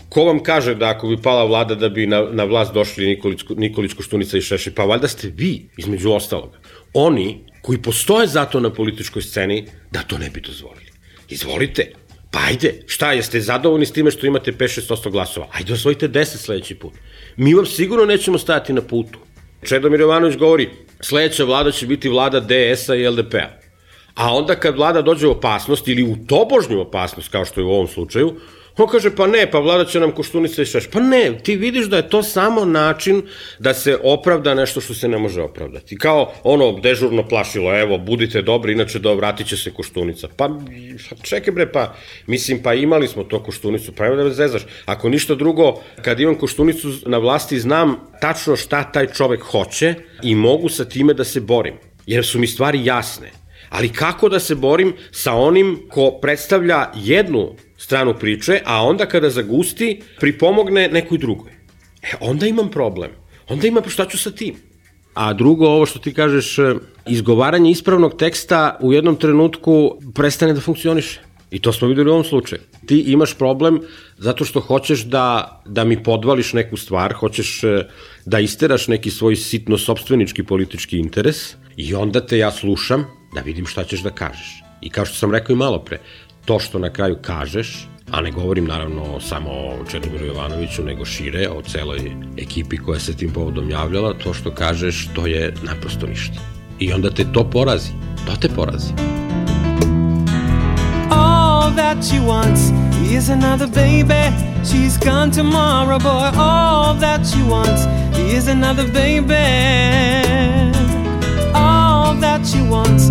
S11: ko vam kaže da ako bi pala vlada da bi na vlast došli Nikolić, Koštunica i Šešelj? Pa valjda ste vi, između ostalog. Oni koji postoje zato na političkoj sceni, da to ne bi dozvolili. Izvolite. Pa ajde, šta, jeste zadovoljni s time što imate 5-6% glasova? Ajde, osvojite 10 sledeći put. Mi vam sigurno nećemo stajati na putu. Čedomir Jovanović govori, sledeća vlada će biti vlada DS-a i LDP-a. A onda kad vlada dođe u opasnost ili u tobožnju opasnost, kao što je u ovom slučaju, on kaže, pa ne, pa vlada će nam Koštunica i Šešelj. Pa ne, ti vidiš da je to samo način da se opravda nešto što se ne može opravdati. Kao ono dežurno plašilo, evo, budite dobri, inače da vratit će se Koštunica. Pa čekaj bre, pa imali smo to Koštunicu, pa evo da me zezaš. Ako ništa drugo, kad imam Koštunicu na vlasti, znam tačno šta taj čovek hoće i mogu sa time da se borim, jer su mi stvari jasne. Ali kako da se borim sa onim ko predstavlja jednu stranu priče, a onda kada zagusti, pripomogne nekoj drugoj. Onda imam problem. Onda imam, šta ću sa tim? A drugo, ovo što ti kažeš, izgovaranje ispravnog teksta u jednom trenutku prestane da funkcioniše. I to smo videli u ovom slučaju. Ti imaš problem zato što hoćeš da mi podvališ neku stvar, hoćeš da isteraš neki svoj sitno sopstvenički politički interes i onda te ja slušam da vidim šta ćeš da kažeš. I kao što sam rekao i malo pre, to što na kraju kažeš, a ne govorim naravno samo o Čedomiru Jovanoviću, nego šire, o celoj ekipi koja se tim povodom javljala, to što kažeš, to je naprosto ništa. I onda te to porazi. To te porazi.
S12: All that she wants is another baby. She's gone tomorrow, boy. All that she wants is another baby. All that she wants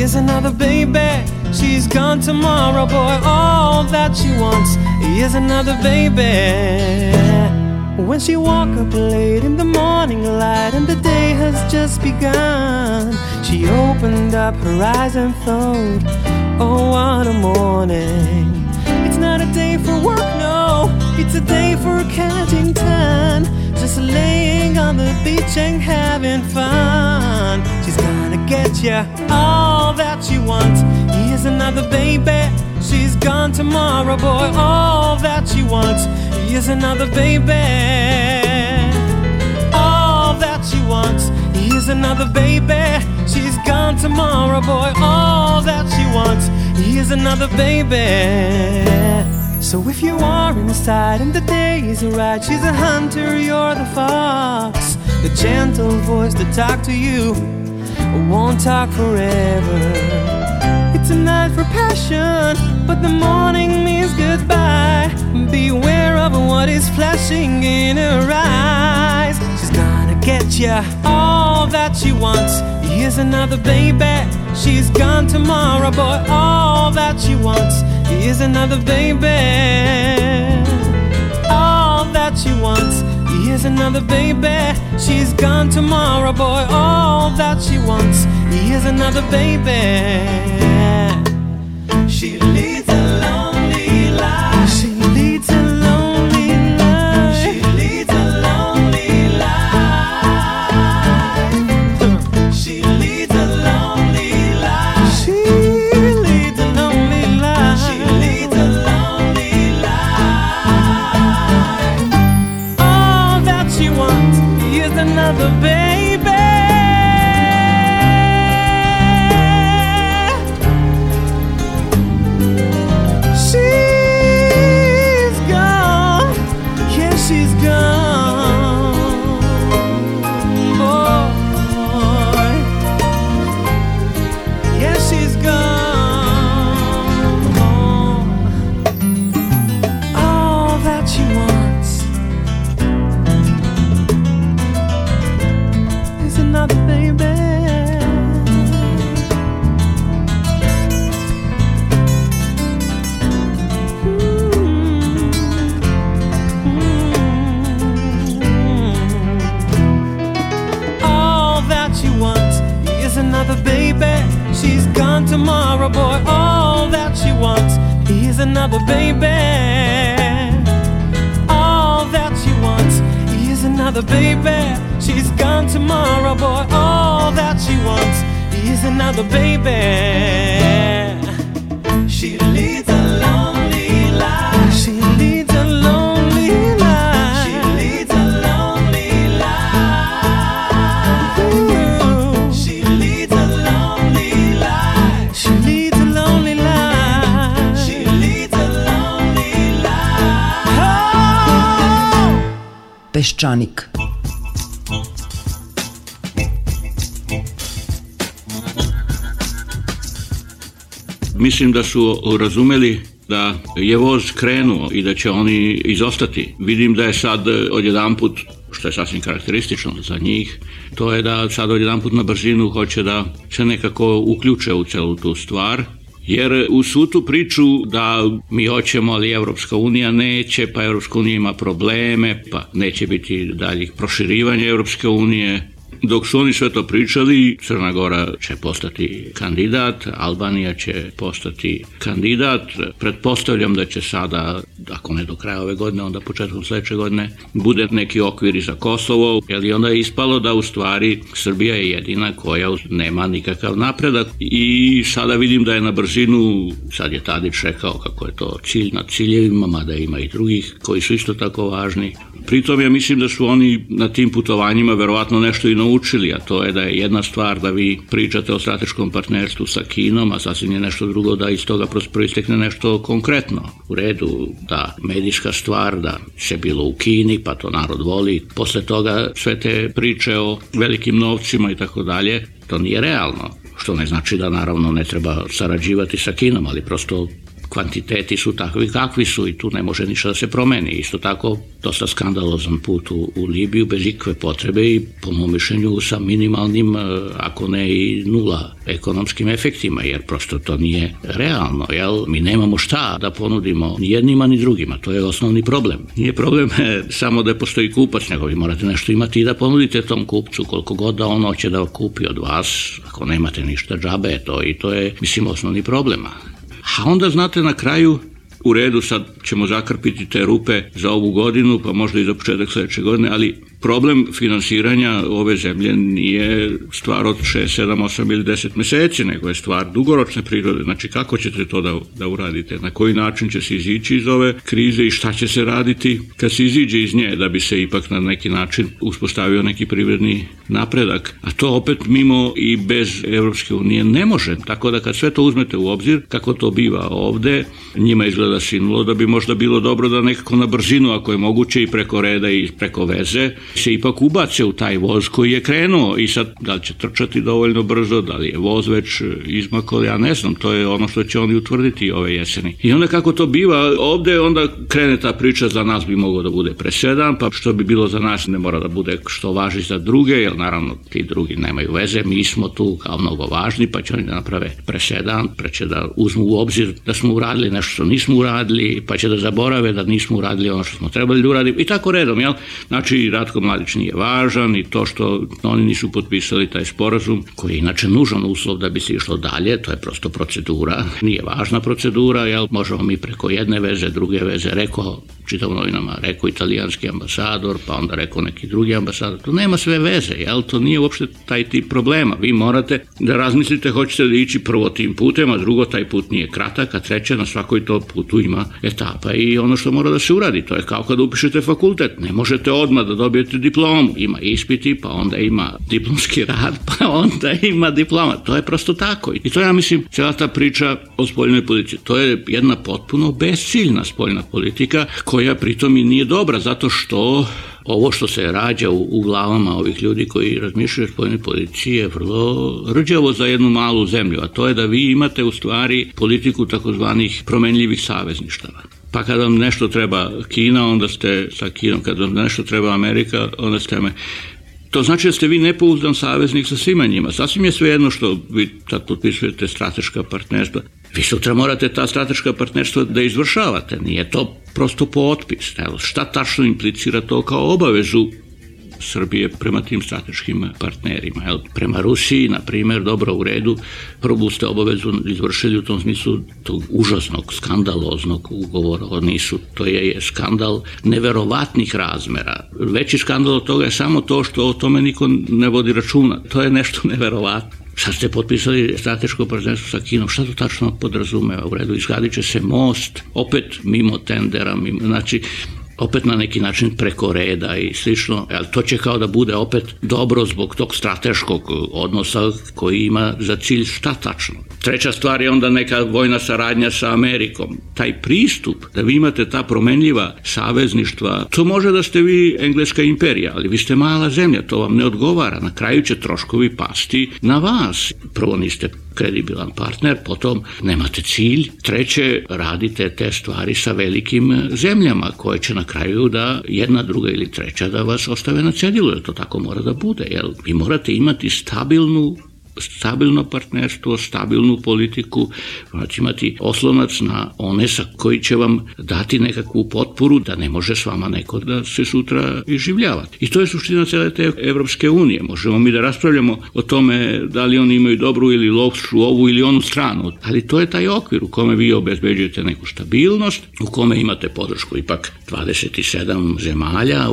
S12: is another baby. She's gone tomorrow, boy. All that she wants is another baby. When she woke up late in the morning light and the day has just begun, she opened up her eyes and thought, oh, what a morning. It's not a day for work, no, it's a day for counting time, just laying on the beach and having fun. She's gonna get ya all that she wants. Here's another baby. She's gone tomorrow, boy. All that she wants. Here's another baby. All that she wants. Here's another baby. She's gone tomorrow, boy. All that she wants. Here's another baby. So if you are inside and the day is right, she's a hunter, you're the fox. The gentle voice that talk to you won't talk forever. It's a night for passion, but the morning means goodbye. Beware of what is flashing in her eyes. She's gonna get ya all that she wants. Here's another baby. She's gone tomorrow, boy. All that she wants. Here's another baby. All that she wants. Here's another baby. She's gone tomorrow, boy. All that she wants. Here's another baby. She leads a lonely life. She leads a lonely life. She leads a lonely life. She leads a lonely life. She leads a lonely life. She leads a lonely life. All that she wants is another baby. Tomorrow, boy, all that she wants is another baby. All that she wants is another baby. She's gone tomorrow, boy, all that she wants is another baby. She leads a lonely life. She leads a lonely life. She leads a lonely life. Ooh. She leads a lonely life. She leads a lonely life. She leads a lonely life. Oh!
S7: Peščanik.
S13: Mislim da su razumeli da je voz krenuo i da će oni izostati. Vidim da je sad odjedanput, što je sasvim karakteristično za njih, to je da sad odjedanput na brzinu hoće da se nekako uključe u celu tu stvar. Jer u svu tu priču da mi hoćemo, ali Evropska unija neće, pa Evropska unija ima probleme, pa neće biti daljih proširivanja Evropske unije. Dok su oni sve to pričali, Crna Gora će postati kandidat, Albanija će postati kandidat. Pretpostavljam da će sada, ako ne do kraja ove godine, onda početkom sledeće godine, bude neki okvir i za Kosovo, jer onda je ispalo da u stvari Srbija je jedina koja nema nikakav napredak. I sada vidim da je na brzinu, sad je Tadić rekao kako je to cilj nad ciljevima, mada ima i drugih koji su isto tako važni. Pritom ja mislim da su oni na tim putovanjima verovatno nešto i naučili, a to je da je jedna stvar da vi pričate o strateškom partnerstvu sa Kinom, a sasvim je nešto drugo da iz toga proistekne nešto konkretno. U redu, da medijska stvar, da se bilo u Kini, pa to narod voli. Posle toga sve te priče o velikim novcima i tako dalje, to nije realno. Što ne znači da naravno ne treba sarađivati sa Kinom, ali prosto kvantiteti su takvi kakvi su i tu ne može ništa da se promeni. Isto tako, dosta skandalozan put u Libiju bez ikakve potrebe i po mom mišljenju sa minimalnim, ako ne i nula ekonomskim efektima, jer prosto to nije realno. Jel? Mi nemamo šta da ponudimo ni jednima ni drugima, to je osnovni problem. Nije problem samo da postoji kupac, nego vi morate nešto imati i da ponudite tom kupcu, koliko god da on hoće da kupi od vas, ako nemate ništa džabe, to je, mislim, osnovni problem. A onda, znate, na kraju, u redu, sad ćemo zakrpiti te rupe za ovu godinu, pa možda i za početak sledeće godine, ali problem finansiranja ove zemlje nije stvar od 6, 7, 8 ili 10 meseci, nego je stvar dugoročne prirode. Znači, kako ćete to da uradite? Na koji način će se izići iz ove krize i šta će se raditi kad se iziđe iz nje, da bi se ipak na neki način uspostavio neki privredni napredak? A to opet mimo i bez Evropske unije ne može. Tako da kad sve to uzmete u obzir, kako to biva ovde, njima izgleda sinulo da bi možda bilo dobro da nekako na brzinu, ako je moguće i preko reda i preko veze, se ipak ubace u taj voz koji je krenuo i sad da li će trčati dovoljno brzo, da li je voz već izmakao, ja ne znam, to je ono što će oni utvrditi ove jeseni. I onda kako to biva ovde, onda krene ta priča, za nas bi moglo da bude presedan, pa što bi bilo za nas ne mora da bude što važi za druge, jer naravno ti drugi nemaju veze, mi smo tu kao mnogo važni, pa će oni da naprave presedan, pa će da uzmu u obzir da smo uradili nešto što nismo uradili, pa će da zaborave da nismo uradili ono što smo trebali da uradimo i tako redom, jel? Znači, Ratko Mladić nije važan i to što oni nisu potpisali taj sporazum, koji je inače nužan uslov da bi se išlo dalje, to je prosto procedura, nije važna procedura, jel? Možemo mi preko jedne veze, druge veze, rekao, čitam u novinama, rekao italijanski ambasador, pa onda rekao neki drugi ambasador, to nema sve veze, jel? To nije uopšte taj tip problema, vi morate da razmislite hoćete da ići prvo tim putem, a drugo taj put nije kratak, a treće na svakoj to putu ima etapa i ono što mora da se uradi, to je kao kada upišete fakultet, ne možete odmah da dobijete diplomu, ima ispiti, pa onda ima diplomski rad, pa onda ima diploma, to je prosto tako. I to ja mislim, cijela ta priča o spoljnoj politici, to je jedna potpuno besciljna spoljna politika, koja pritom i nije dobra, zato što ovo što se rađa u glavama ovih ljudi koji razmišljaju o spoljnoj politici je vrlo rđavo za jednu malu zemlju, a to je da vi imate u stvari politiku takozvanih promenljivih savezništava. Pa kad vam nešto treba Kina, onda ste sa Kinom, kad vam nešto treba Amerika, onda ste To znači da ste vi nepouzdan saveznik sa svima njima. Sasvim je svejedno što vi tad potpisujete strateška partnerstva. Vi sutra morate ta strateška partnerstva da izvršavate. Nije to prosto potpis. Šta tačno implicira to kao obavezu Srbije prema tim strateškim partnerima? Prema Rusiji, na primjer, dobro, u redu, prvu ste obavezu izvršili u tom smislu tog užasnog, skandaloznog ugovora. To je skandal neverovatnih razmera. Veći skandal od toga je samo to što o tome niko ne vodi računa. To je nešto neverovatno. Sad ste potpisali strateško partnerstvo sa Kinom, šta to tačno podrazumeva? U redu, izgradit će se most, opet mimo tendera, znači opet na neki način preko reda i slično, ali to će kao da bude opet dobro zbog tog strateškog odnosa koji ima za cilj šta tačno. Treća stvar je onda neka vojna saradnja sa Amerikom. Taj pristup da vi imate ta promenljiva savezništva, to može da ste vi engleska imperija, ali vi ste mala zemlja, to vam ne odgovara. Na kraju će troškovi pasti na vas. Prvo niste kredibilan partner, potom nemate cilj, treće radite te stvari sa velikim zemljama koje će na kraju da jedna, druga ili treća da vas ostave na cedilu, jer to tako mora da bude, jer vi morate imati stabilno partnerstvo, stabilnu politiku, znači imati oslonac na one sa koji će vam dati nekakvu potporu da ne može s vama neko da se sutra iživljavati. I to je suština cele te Evropske unije. Možemo mi da raspravljamo o tome da li oni imaju dobru ili lošu ovu ili onu stranu, ali to je taj okvir u kome vi obezbeđujete neku stabilnost, u kome imate podršku ipak 27 zemalja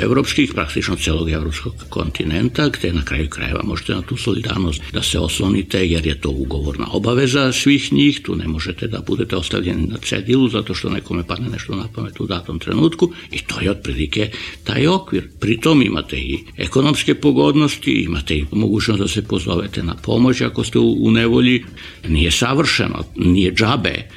S13: evropskih, praktično celog evropskog kontinenta, gde na kraju krajeva možete na tu solidarnost da se oslonite, jer je to ugovorna obaveza svih njih, tu ne možete da budete ostavljeni na cedilu zato što nekome padne nešto na pamet u datom trenutku i to je otprilike taj okvir. Pritom imate i ekonomske pogodnosti, imate i mogućnost da se pozovete na pomoć ako ste u nevolji. Nije savršeno, nije džabe,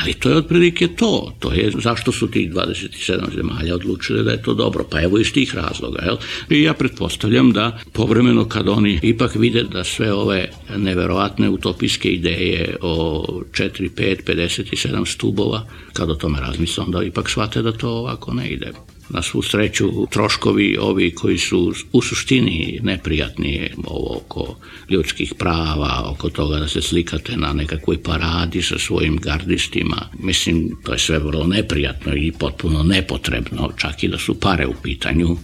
S13: Ali to je otprilike to. To je zašto su tih 27 zemalja odlučili da je to dobro. Pa evo iz tih razloga. Jel? I ja pretpostavljam da povremeno kad oni ipak vide da sve ove neverovatne utopijske ideje o 4, 5, 57 stubova, kad o tome razmisle, onda ipak shvate da to ovako ne ide. Na svu sreću, troškovi ovi koji su u suštini neprijatni, ovo oko ljudskih prava, oko toga da se slikate na nekakvoj paradi sa svojim gardistima, mislim, to je sve vrlo neprijatno i potpuno nepotrebno, čak i da su pare u pitanju.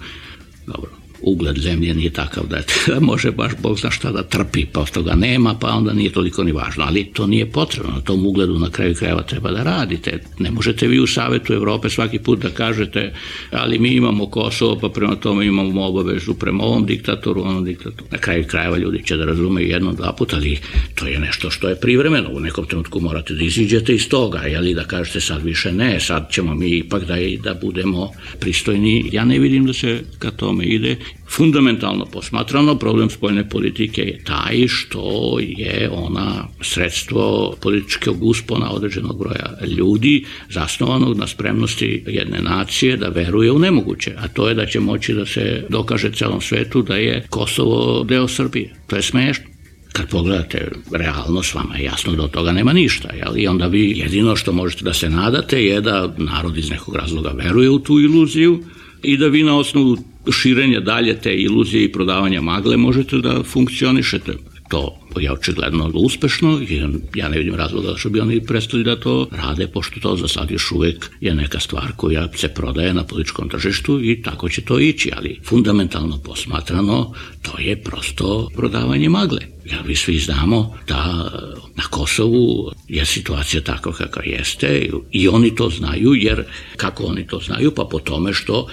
S13: Dobro, ugled zemlje nije takav da može baš Bog zna šta da trpi, pa od toga nema, pa onda nije toliko ni važno, ali to nije potrebno, na tom ugledu na kraju krajeva treba da radite. Ne možete vi u Savetu Evrope svaki put da kažete, ali mi imamo Kosovo, pa prema tome imamo obavezu prema ovom diktatoru, onom diktatoru. Na kraju krajeva ljudi će da razumeju jednom, dva puta, ali to je nešto što je privremeno. U nekom trenutku morate da iziđete iz toga, jeli, da kažete sad više ne, sad ćemo mi ipak da budemo pristojni. Ja ne vidim da se ka tome ide. Fundamentalno posmatrano, problem spoljne politike je taj što je ona sredstvo političkog uspona određenog broja ljudi zasnovanog na spremnosti jedne nacije da veruje u nemoguće, a to je da će moći da se dokaže celom svetu da je Kosovo deo Srbije. To je smešno. Kad pogledate realnost, vama je jasno da od toga nema ništa, jel? I onda vi jedino što možete da se nadate je da narod iz nekog razloga veruje u tu iluziju i da vi na osnovu širenja dalje te iluzije i prodavanja magle možete da funkcionišete. To je očigledno uspešno i ja ne vidim razloga što bi oni prestali da to rade, pošto to za sad još uvek je neka stvar koja se prodaje na političkom tržištu i tako će to ići, ali fundamentalno posmatrano to je prosto prodavanje magle. Jer mi svi znamo da na Kosovu je situacija takva kakva jeste i oni to znaju, jer kako oni to znaju? Pa po tome što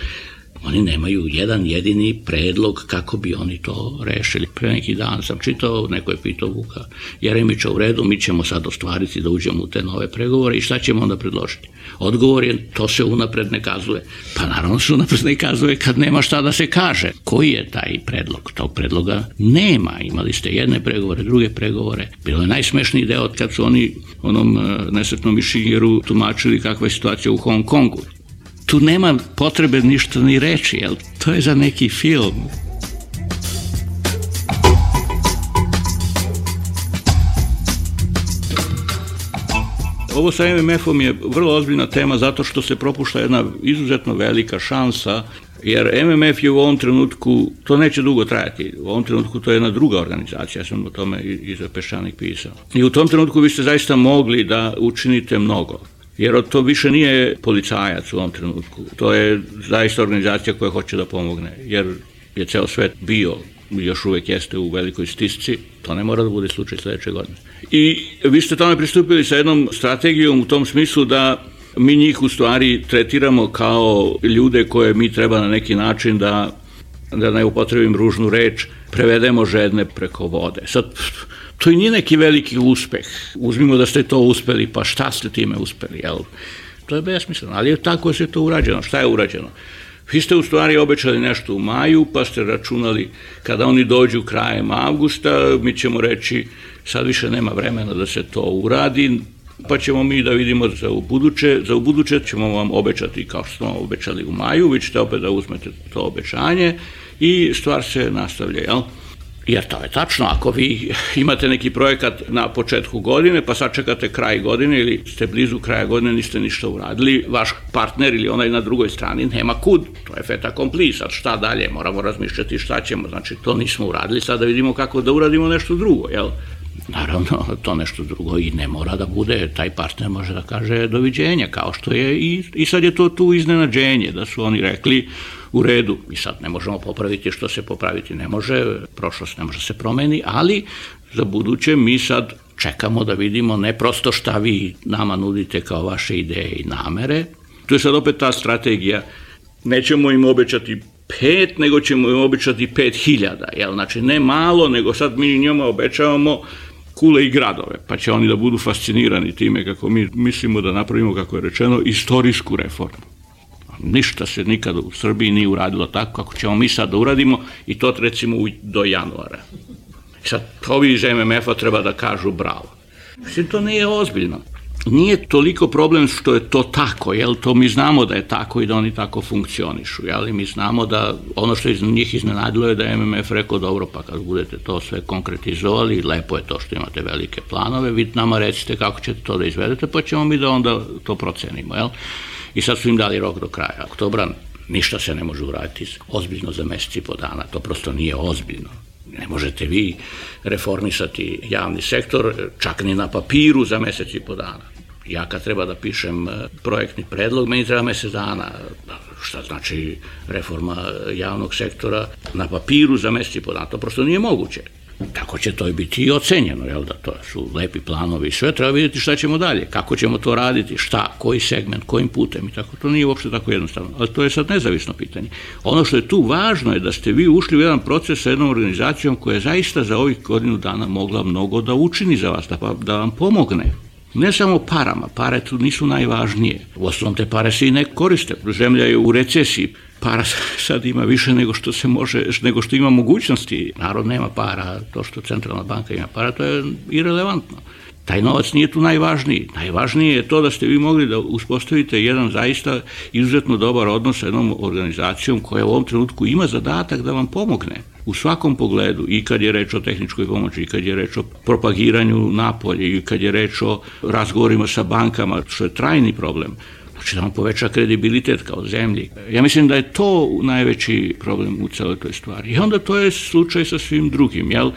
S13: oni nemaju jedan jedini predlog kako bi oni to rešili. Pre neki dan sam čitao, neko je pitao Vuka Jeremića, u redu, mi ćemo sad ostvariti da uđemo u te nove pregovore i šta ćemo onda predložiti? Odgovor je, to se unapred ne kazuje. Pa naravno se unapred ne kazuje kad nema šta da se kaže. Koji je taj predlog? Tog predloga nema. Imali ste jedne pregovore, druge pregovore. Bilo je najsmešniji deo kad su oni onom nesretnom Mišinjeru tumačili kakva je situacija u Hong Kongu. Tu nema potrebe ništa ni reći, jel? To je za neki film. Ovo sa MMF-om je vrlo ozbiljna tema zato što se propušta jedna izuzetno velika šansa, jer MMF je u ovom trenutku, to neće dugo trajati, u ovom trenutku to je jedna druga organizacija, ja sam o tome i za Peščanik pisao. I u tom trenutku vi ste zaista mogli da učinite mnogo. Jer to više nije policajac u ovom trenutku. To je zaista organizacija koja hoće da pomogne. Jer je ceo svet bio, još uvek jeste u velikoj stisci, to ne mora da bude slučaj sledeće godine. I vi ste tome pristupili sa jednom strategijom u tom smislu da mi njih u stvari tretiramo kao ljude koje mi treba na neki način da ne upotrebim ružnu reč, prevedemo žedne preko vode. Sad, to i nije neki veliki uspeh. Uzmimo da ste to uspeli, pa šta ste time uspeli, jel? To je besmisleno, ali tako se to urađeno. Šta je urađeno? Vi ste u stvari obećali nešto u maju, pa ste računali kada oni dođu krajem avgusta, mi ćemo reći sad više nema vremena da se to uradi, pa ćemo mi da vidimo za ubuduće ćemo vam obećati kao što smo obećali u maju, vi ćete opet da uzmete to obećanje i stvar se nastavlja, jel? Jer to je tačno, ako vi imate neki projekat na početku godine, pa sačekate kraj godine ili ste blizu kraja godine, niste ništa uradili, vaš partner ili onaj na drugoj strani nema kud, to je fait accompli, sad šta dalje, moramo razmišljati šta ćemo, znači to nismo uradili, sad da vidimo kako da uradimo nešto drugo, jel? Naravno, to nešto drugo i ne mora da bude, taj partner može da kaže doviđenja, kao što je i sad je to tu iznenađenje, da su oni rekli u redu, mi sad ne možemo popraviti što se popraviti ne može, prošlost ne može se promeni, ali za buduće mi sad čekamo da vidimo ne prosto šta vi nama nudite kao vaše ideje i namere, tu je sad opet ta strategija, nećemo im obećati 5, nego ćemo im obećati 5000, jel? Znači ne malo, nego sad mi njima obećavamo kule i gradove, pa će oni da budu fascinirani time kako mi mislimo da napravimo, kako je rečeno, istorijsku reformu. Ništa se nikada u Srbiji nije uradilo tako kako ćemo mi sad da uradimo i to recimo do januara. Sad ovi iz MMF-a treba da kažu bravo. Mislim, to nije ozbiljno. Nije toliko problem što je to tako, jel, to mi znamo da je tako i da oni tako funkcionišu, jel, mi znamo da ono što iz njih iznenadilo je da je MMF rekao, dobro, pa kad budete to sve konkretizovali, lepo je to što imate velike planove, vi nama recite kako ćete to da izvedete, pa ćemo mi da onda to procenimo, jel. I sad su im dali rok do kraja oktobra, ništa se ne može uraditi ozbiljno za mesec i po dana, to prosto nije ozbiljno. Ne možete vi reformisati javni sektor čak ni na papiru za mesec i po dana. Ja kad treba da pišem projektni predlog, meni treba mesec dana. Šta znači reforma javnog sektora na papiru za mesec i po dana? To prosto nije moguće. Tako će to i biti i ocenjeno, jel da, to su lepi planovi i sve, treba vidjeti šta ćemo dalje, kako ćemo to raditi, šta, koji segment, kojim putem i tako, to nije uopšte tako jednostavno, ali to je sad nezavisno pitanje. Ono što je tu važno je da ste vi ušli u jedan proces sa jednom organizacijom koja je zaista za ovih godinu dana mogla mnogo da učini za vas, da vam pomogne. Ne samo parama, pare tu nisu najvažnije, u osnovom te pare se i ne koriste, zemlja je u recesiji, para sad ima više nego što se može, nego što ima mogućnosti. Narod nema para, to što centralna banka ima para, to je irelevantno. Taj novac nije tu najvažniji. Najvažnije je to da ste vi mogli da uspostavite jedan zaista izuzetno dobar odnos sa jednom organizacijom koja u ovom trenutku ima zadatak da vam pomogne u svakom pogledu, i kad je reč o tehničkoj pomoći, i kad je reč o propagiranju napolje, i kad je reč o razgovorima sa bankama, što je trajni problem. Znači da vam poveća kredibilitet kao zemlji. Ja mislim da je to najveći problem u celoj toj stvari. I onda to je slučaj sa svim drugim, jel?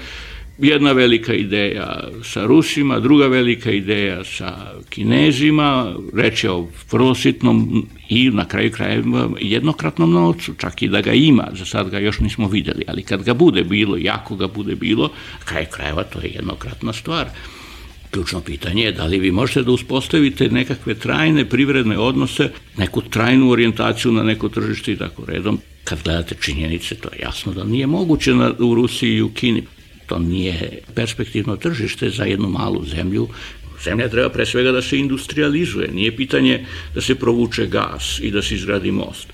S13: Jedna velika ideja sa Rusima, druga velika ideja sa Kinezima, reč je o vrlo sitnom i na kraju krajeva jednokratnom novcu, čak i da ga ima, za sad ga još nismo vidjeli, ali kad ga bude bilo, jako ga bude bilo, na kraju krajeva to je jednokratna stvar. Ključno pitanje je da li vi možete da uspostavite nekakve trajne privredne odnose, neku trajnu orijentaciju na neko tržište i tako redom. Kad gledate činjenice, to je jasno da nije moguće u Rusiji i u Kini. To nije perspektivno tržište za jednu malu zemlju. Zemlja treba pre svega da se industrializuje. Nije pitanje da se provuče gas i da se izgradi most.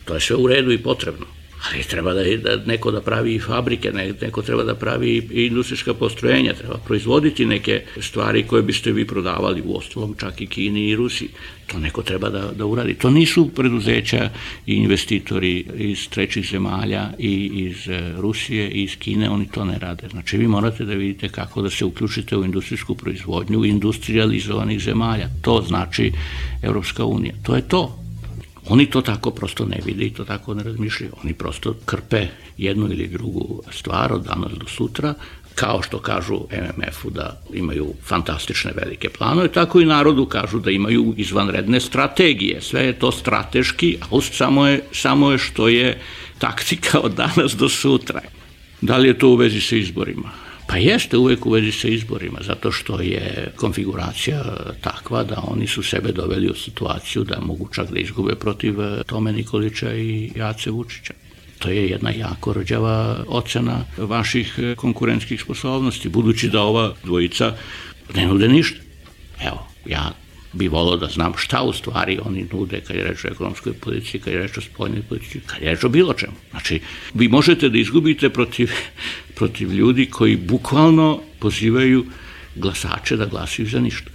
S13: To je sve u redu i potrebno. Ali treba da neko da pravi i fabrike, neko treba da pravi i industrijska postrojenja, treba proizvoditi neke stvari koje biste vi prodavali u ostalom, čak i Kini i Rusiji. To neko treba da uradi. To nisu preduzeća i investitori iz trećih zemalja i iz Rusije i iz Kine, oni to ne rade. Znači vi morate da vidite kako da se uključite u industrijsku proizvodnju industrializovanih zemalja. To znači Evropska unija. To je to. Oni to tako prosto ne vide i to tako ne razmišljaju. Oni prosto krpe jednu ili drugu stvar od danas do sutra, kao što kažu MMF-u da imaju fantastične velike planove, tako i narodu kažu da imaju izvanredne strategije. Sve je to strateški, a samo je što je taktika od danas do sutra. Da li je to u vezi sa izborima? Pa jeste uvek u vezi sa izborima, zato što je konfiguracija takva da oni su sebe doveli u situaciju da mogu čak da izgube protiv Tome Nikolića i Ace Vučića. To je jedna jako rđava ocena vaših konkurentskih sposobnosti, budući da ova dvojica ne nude ništa. Evo, ja bi volao da znam šta u stvari oni nude kad je reč o ekonomskoj politici, kad je reč o spoljnoj politici, kad je reč o bilo čemu. Znači, vi možete da izgubite protiv ljudi koji bukvalno pozivaju glasače da glasaju za ništa.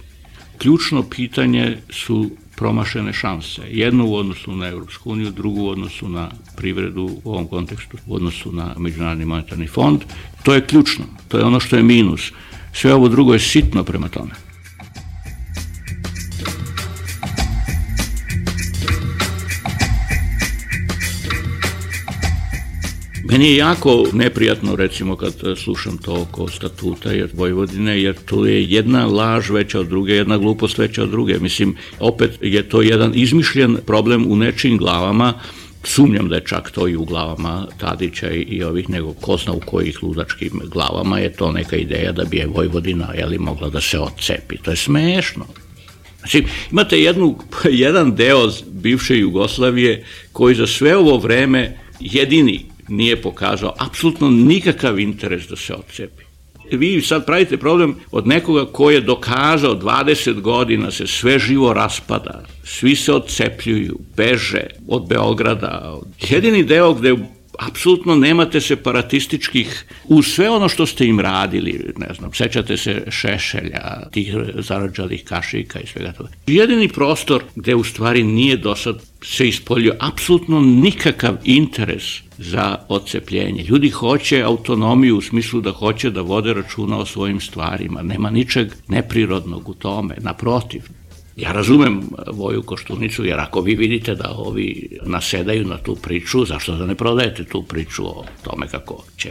S13: Ključno pitanje su promašene šanse. Jedno u odnosu na Evropsku uniju, drugo u odnosu na privredu u ovom kontekstu, u odnosu na Međunarodni monetarni fond. To je ključno. To je ono što je minus. Sve ovo drugo je sitno prema tome. Meni je jako neprijatno, recimo, kad slušam to oko statuta Vojvodine, jer to je jedna laž veća od druge, jedna glupost veća od druge. Mislim, opet je to jedan izmišljen problem u nečijim glavama, sumnjam da je čak to i u glavama Tadića i ovih, nego ko zna u kojih ludačkim glavama je to neka ideja da bi je Vojvodina mogla da se odcepi. To je smešno. Znači, imate jedan deo bivše Jugoslavije koji za sve ovo vreme jedini nije pokazao apsolutno nikakav interes da se odcepi. Vi sad pravite problem od nekoga ko je dokazao 20 godina se sve živo raspada, svi se odcepljuju, beže od Beograda. Jedini deo gde apsolutno nemate separatističkih, uz sve ono što ste im radili, ne znam, sećate se Šešelja, tih zarađalih kašika i svega toga. Jedini prostor gde u stvari nije do sad se ispoljio apsolutno nikakav interes za odcepljenje. Ljudi hoće autonomiju u smislu da hoće da vode računa o svojim stvarima. Nema ničeg neprirodnog u tome, naprotiv. Ja razumem Voju Koštunicu, jer ako vi vidite da ovi nasedaju na tu priču, zašto da ne prodajete tu priču o tome kako će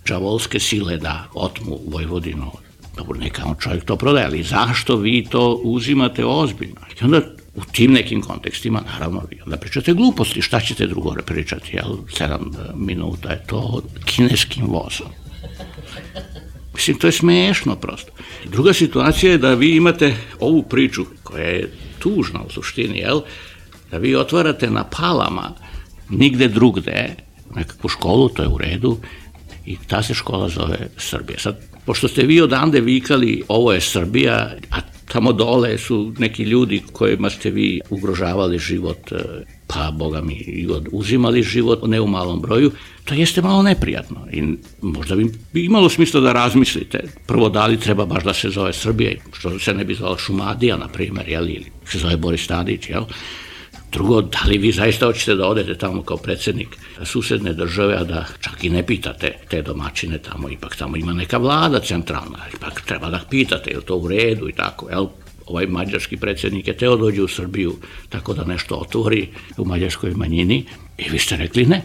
S13: đavolske sile da otmu Vojvodinu? Dobro, neka on čovjek to prodaje, ali zašto vi to uzimate ozbiljno? I onda u tim nekim kontekstima, naravno, vi onda pričate gluposti, šta ćete drugo pričati, jel? 7 minuta je to kineskim vozom. Mislim, to je smešno prosto. Druga situacija je da vi imate ovu priču, koja je tužna u suštini, jel? Da vi otvarate na Palama, nigde drugde, nekakvu školu, to je u redu, i ta se škola zove Srbija. Sad, pošto ste vi odande vikali, ovo je Srbija, a tamo dole su neki ljudi kojima ste vi ugrožavali život, pa boga mi i uzimali život, ne u malom broju, to jeste malo neprijatno i možda bi imalo smisla da razmislite. Prvo, da li treba baš da se zove Srbija, što se ne bi zvala Šumadija, na primer, ili se zove Boris Tadić, jel? Drugo, da li vi zaista hoćete da odete tamo kao predsjednik susedne države, a da čak i ne pitate te domaćine tamo, ipak tamo ima neka vlada centralna, ipak treba da pitate, je li to u redu i tako, jel? Ovaj mađarski predsjednik je teo dođe u Srbiju tako da nešto otvori u mađarskoj manjini i vi ste rekli ne.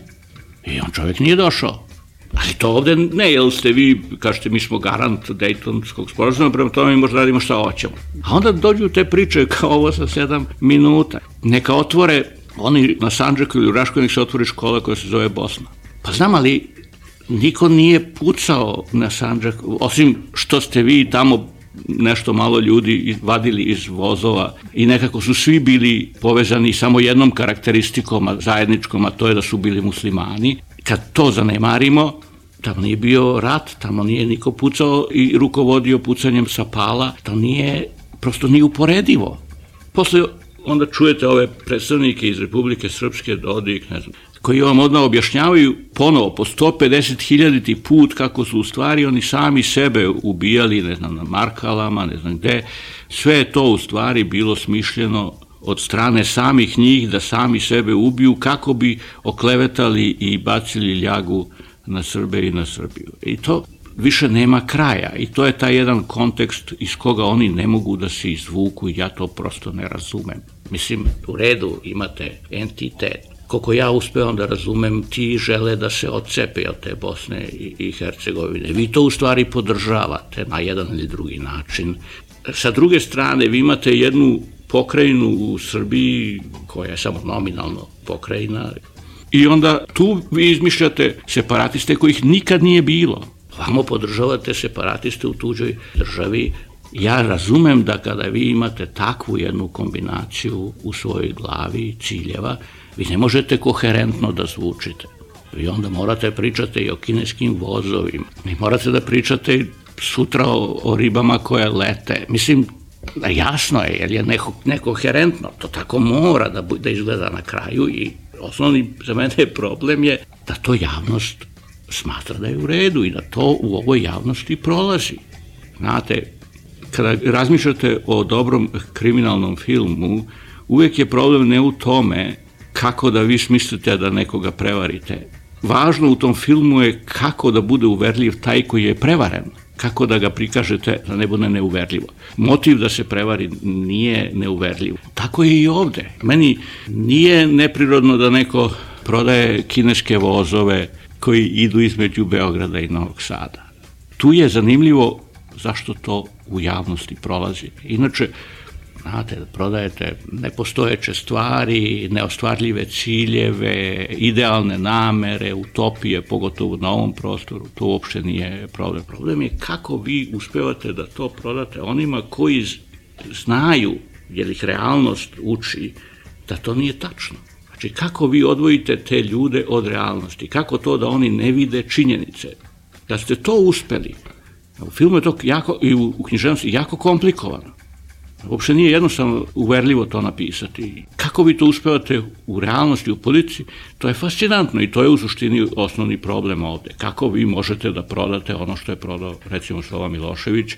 S13: I on čovjek nije došao. Ali to ovde ne, jer ste vi, kažete, mi smo garant Dejtonskog sporazuma, prema tome mi možda radimo šta hoćemo. A onda dođu te priče kao ovo sa 7 minuta. Neka otvore, oni na Sandžaku ili u Raškoj, nek se otvori škola koja se zove Bosna. Pa znam, ali niko nije pucao na Sandžak, osim što ste vi tamo nešto malo ljudi vadili iz vozova i nekako su svi bili povezani samo jednom karakteristikom zajedničkom, a to je da su bili muslimani. Kad to zanemarimo, tamo nije bio rat, tamo nije niko pucao i rukovodio pucanjem sa pala, to nije, prosto nije uporedivo. Posle onda čujete ove predstavnike iz Republike Srpske, Dodik, ne znam, koji vam odmah objašnjavaju ponovo po 150.000 put kako su u stvari oni sami sebe ubijali, ne znam, na Markalama, ne znam gde. Sve je to u stvari bilo smišljeno od strane samih njih da sami sebe ubiju kako bi oklevetali i bacili ljagu na Srbe i na Srbiju. I to više nema kraja i to je taj jedan kontekst iz koga oni ne mogu da se izvuku i ja to prosto ne razumem. Mislim, u redu imate entitet. Koliko ja uspevam da razumem, ti žele da se odcepe od te Bosne i Hercegovine. Vi to u stvari podržavate na jedan ili drugi način. Sa druge strane, vi imate jednu pokrajinu u Srbiji koja je samo nominalno pokrajina i onda tu vi izmišljate separatiste kojih nikad nije bilo. Vamo podržavate separatiste u tuđoj državi. Ja razumem da kada vi imate takvu jednu kombinaciju u svojoj glavi ciljeva, vi ne možete koherentno da zvučite. Vi onda morate pričati i o kineskim vozovima. Vi morate da pričate sutra o ribama koje lete. Mislim, jasno je, jer je nekoherentno. To tako mora da izgleda na kraju i osnovni za mene problem je da to javnost smatra da je u redu i da to u ovoj javnosti prolazi. Znate, kada razmišljate o dobrom kriminalnom filmu, uvijek je problem ne u tome kako da vi smislite da nekoga prevarite. Važno u tom filmu je kako da bude uverljiv taj koji je prevaren, kako da ga prikažete da ne bude neuverljivo. Motiv da se prevari nije neuverljiv. Tako je i ovde. Meni nije neprirodno da neko prodaje kineske vozove koji idu između Beograda i Novog Sada. Tu je zanimljivo zašto to u javnosti prolazi. Inače, znate, prodajete nepostojeće stvari, neostvarljive ciljeve, idealne namere, utopije, pogotovo na ovom prostoru, to uopšte nije problem. Problem je kako vi uspevate da to prodate onima koji znaju, jer ih realnost uči, da to nije tačno. Znači, kako vi odvojite te ljude od realnosti, kako to da oni ne vide činjenice. Da ste to uspeli, u filmu je to jako, i u književnosti jako komplikovano. Uopšte nije jednostavno uverljivo to napisati. Kako vi to uspevate u realnosti, u politici, to je fascinantno i to je u suštini osnovni problem ovde. Kako vi možete da prodate ono što je prodao, recimo, Slobodan Milošević.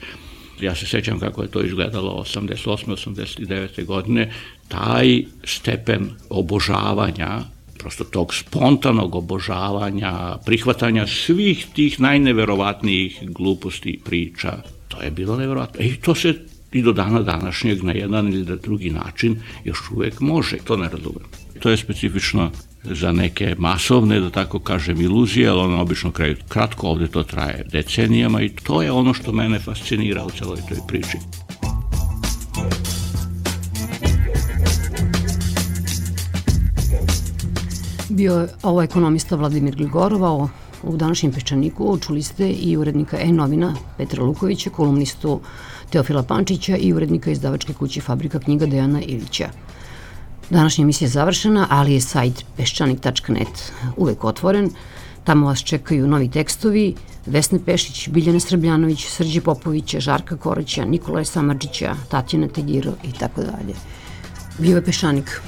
S13: Ja se sećam kako je to izgledalo 88. 89. godine, taj stepen obožavanja, prosto tog spontanog obožavanja, prihvatanja svih tih najneverovatnijih gluposti priča, to je bilo neverovatno. I to se i do dana današnjeg na jedan ili na drugi način još uvek može. To ne razumem. To je specifično za neke masovne, da tako kažem, iluzije, ali ono obično kraju kratko, ovde to traje decenijama i to je ono što mene fascinira u celoj toj priči.
S8: Bio je ovo ekonomista Vladimir Gligorova, u današnjem Peščaniku čuli ste i urednika E-novina Petra Lukovića, kolumnistu Teofila Pančića i urednika izdavačke kuće Fabrika knjiga Dejana Ilića. Današnja emisija je završena, ali je sajt peščanik.net uvek otvoren. Tamo vas čekaju novi tekstovi Vesne Pešić, Biljane Srbljanović, Srđe Popovića, Žarka Koraća, Nikolaja Samardžića, Tatjana Tegiro i tako dalje. Bio je Peščanik.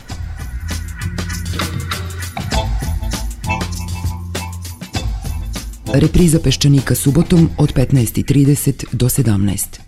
S14: Repriza Peščanika subotom od 15:30 do 17.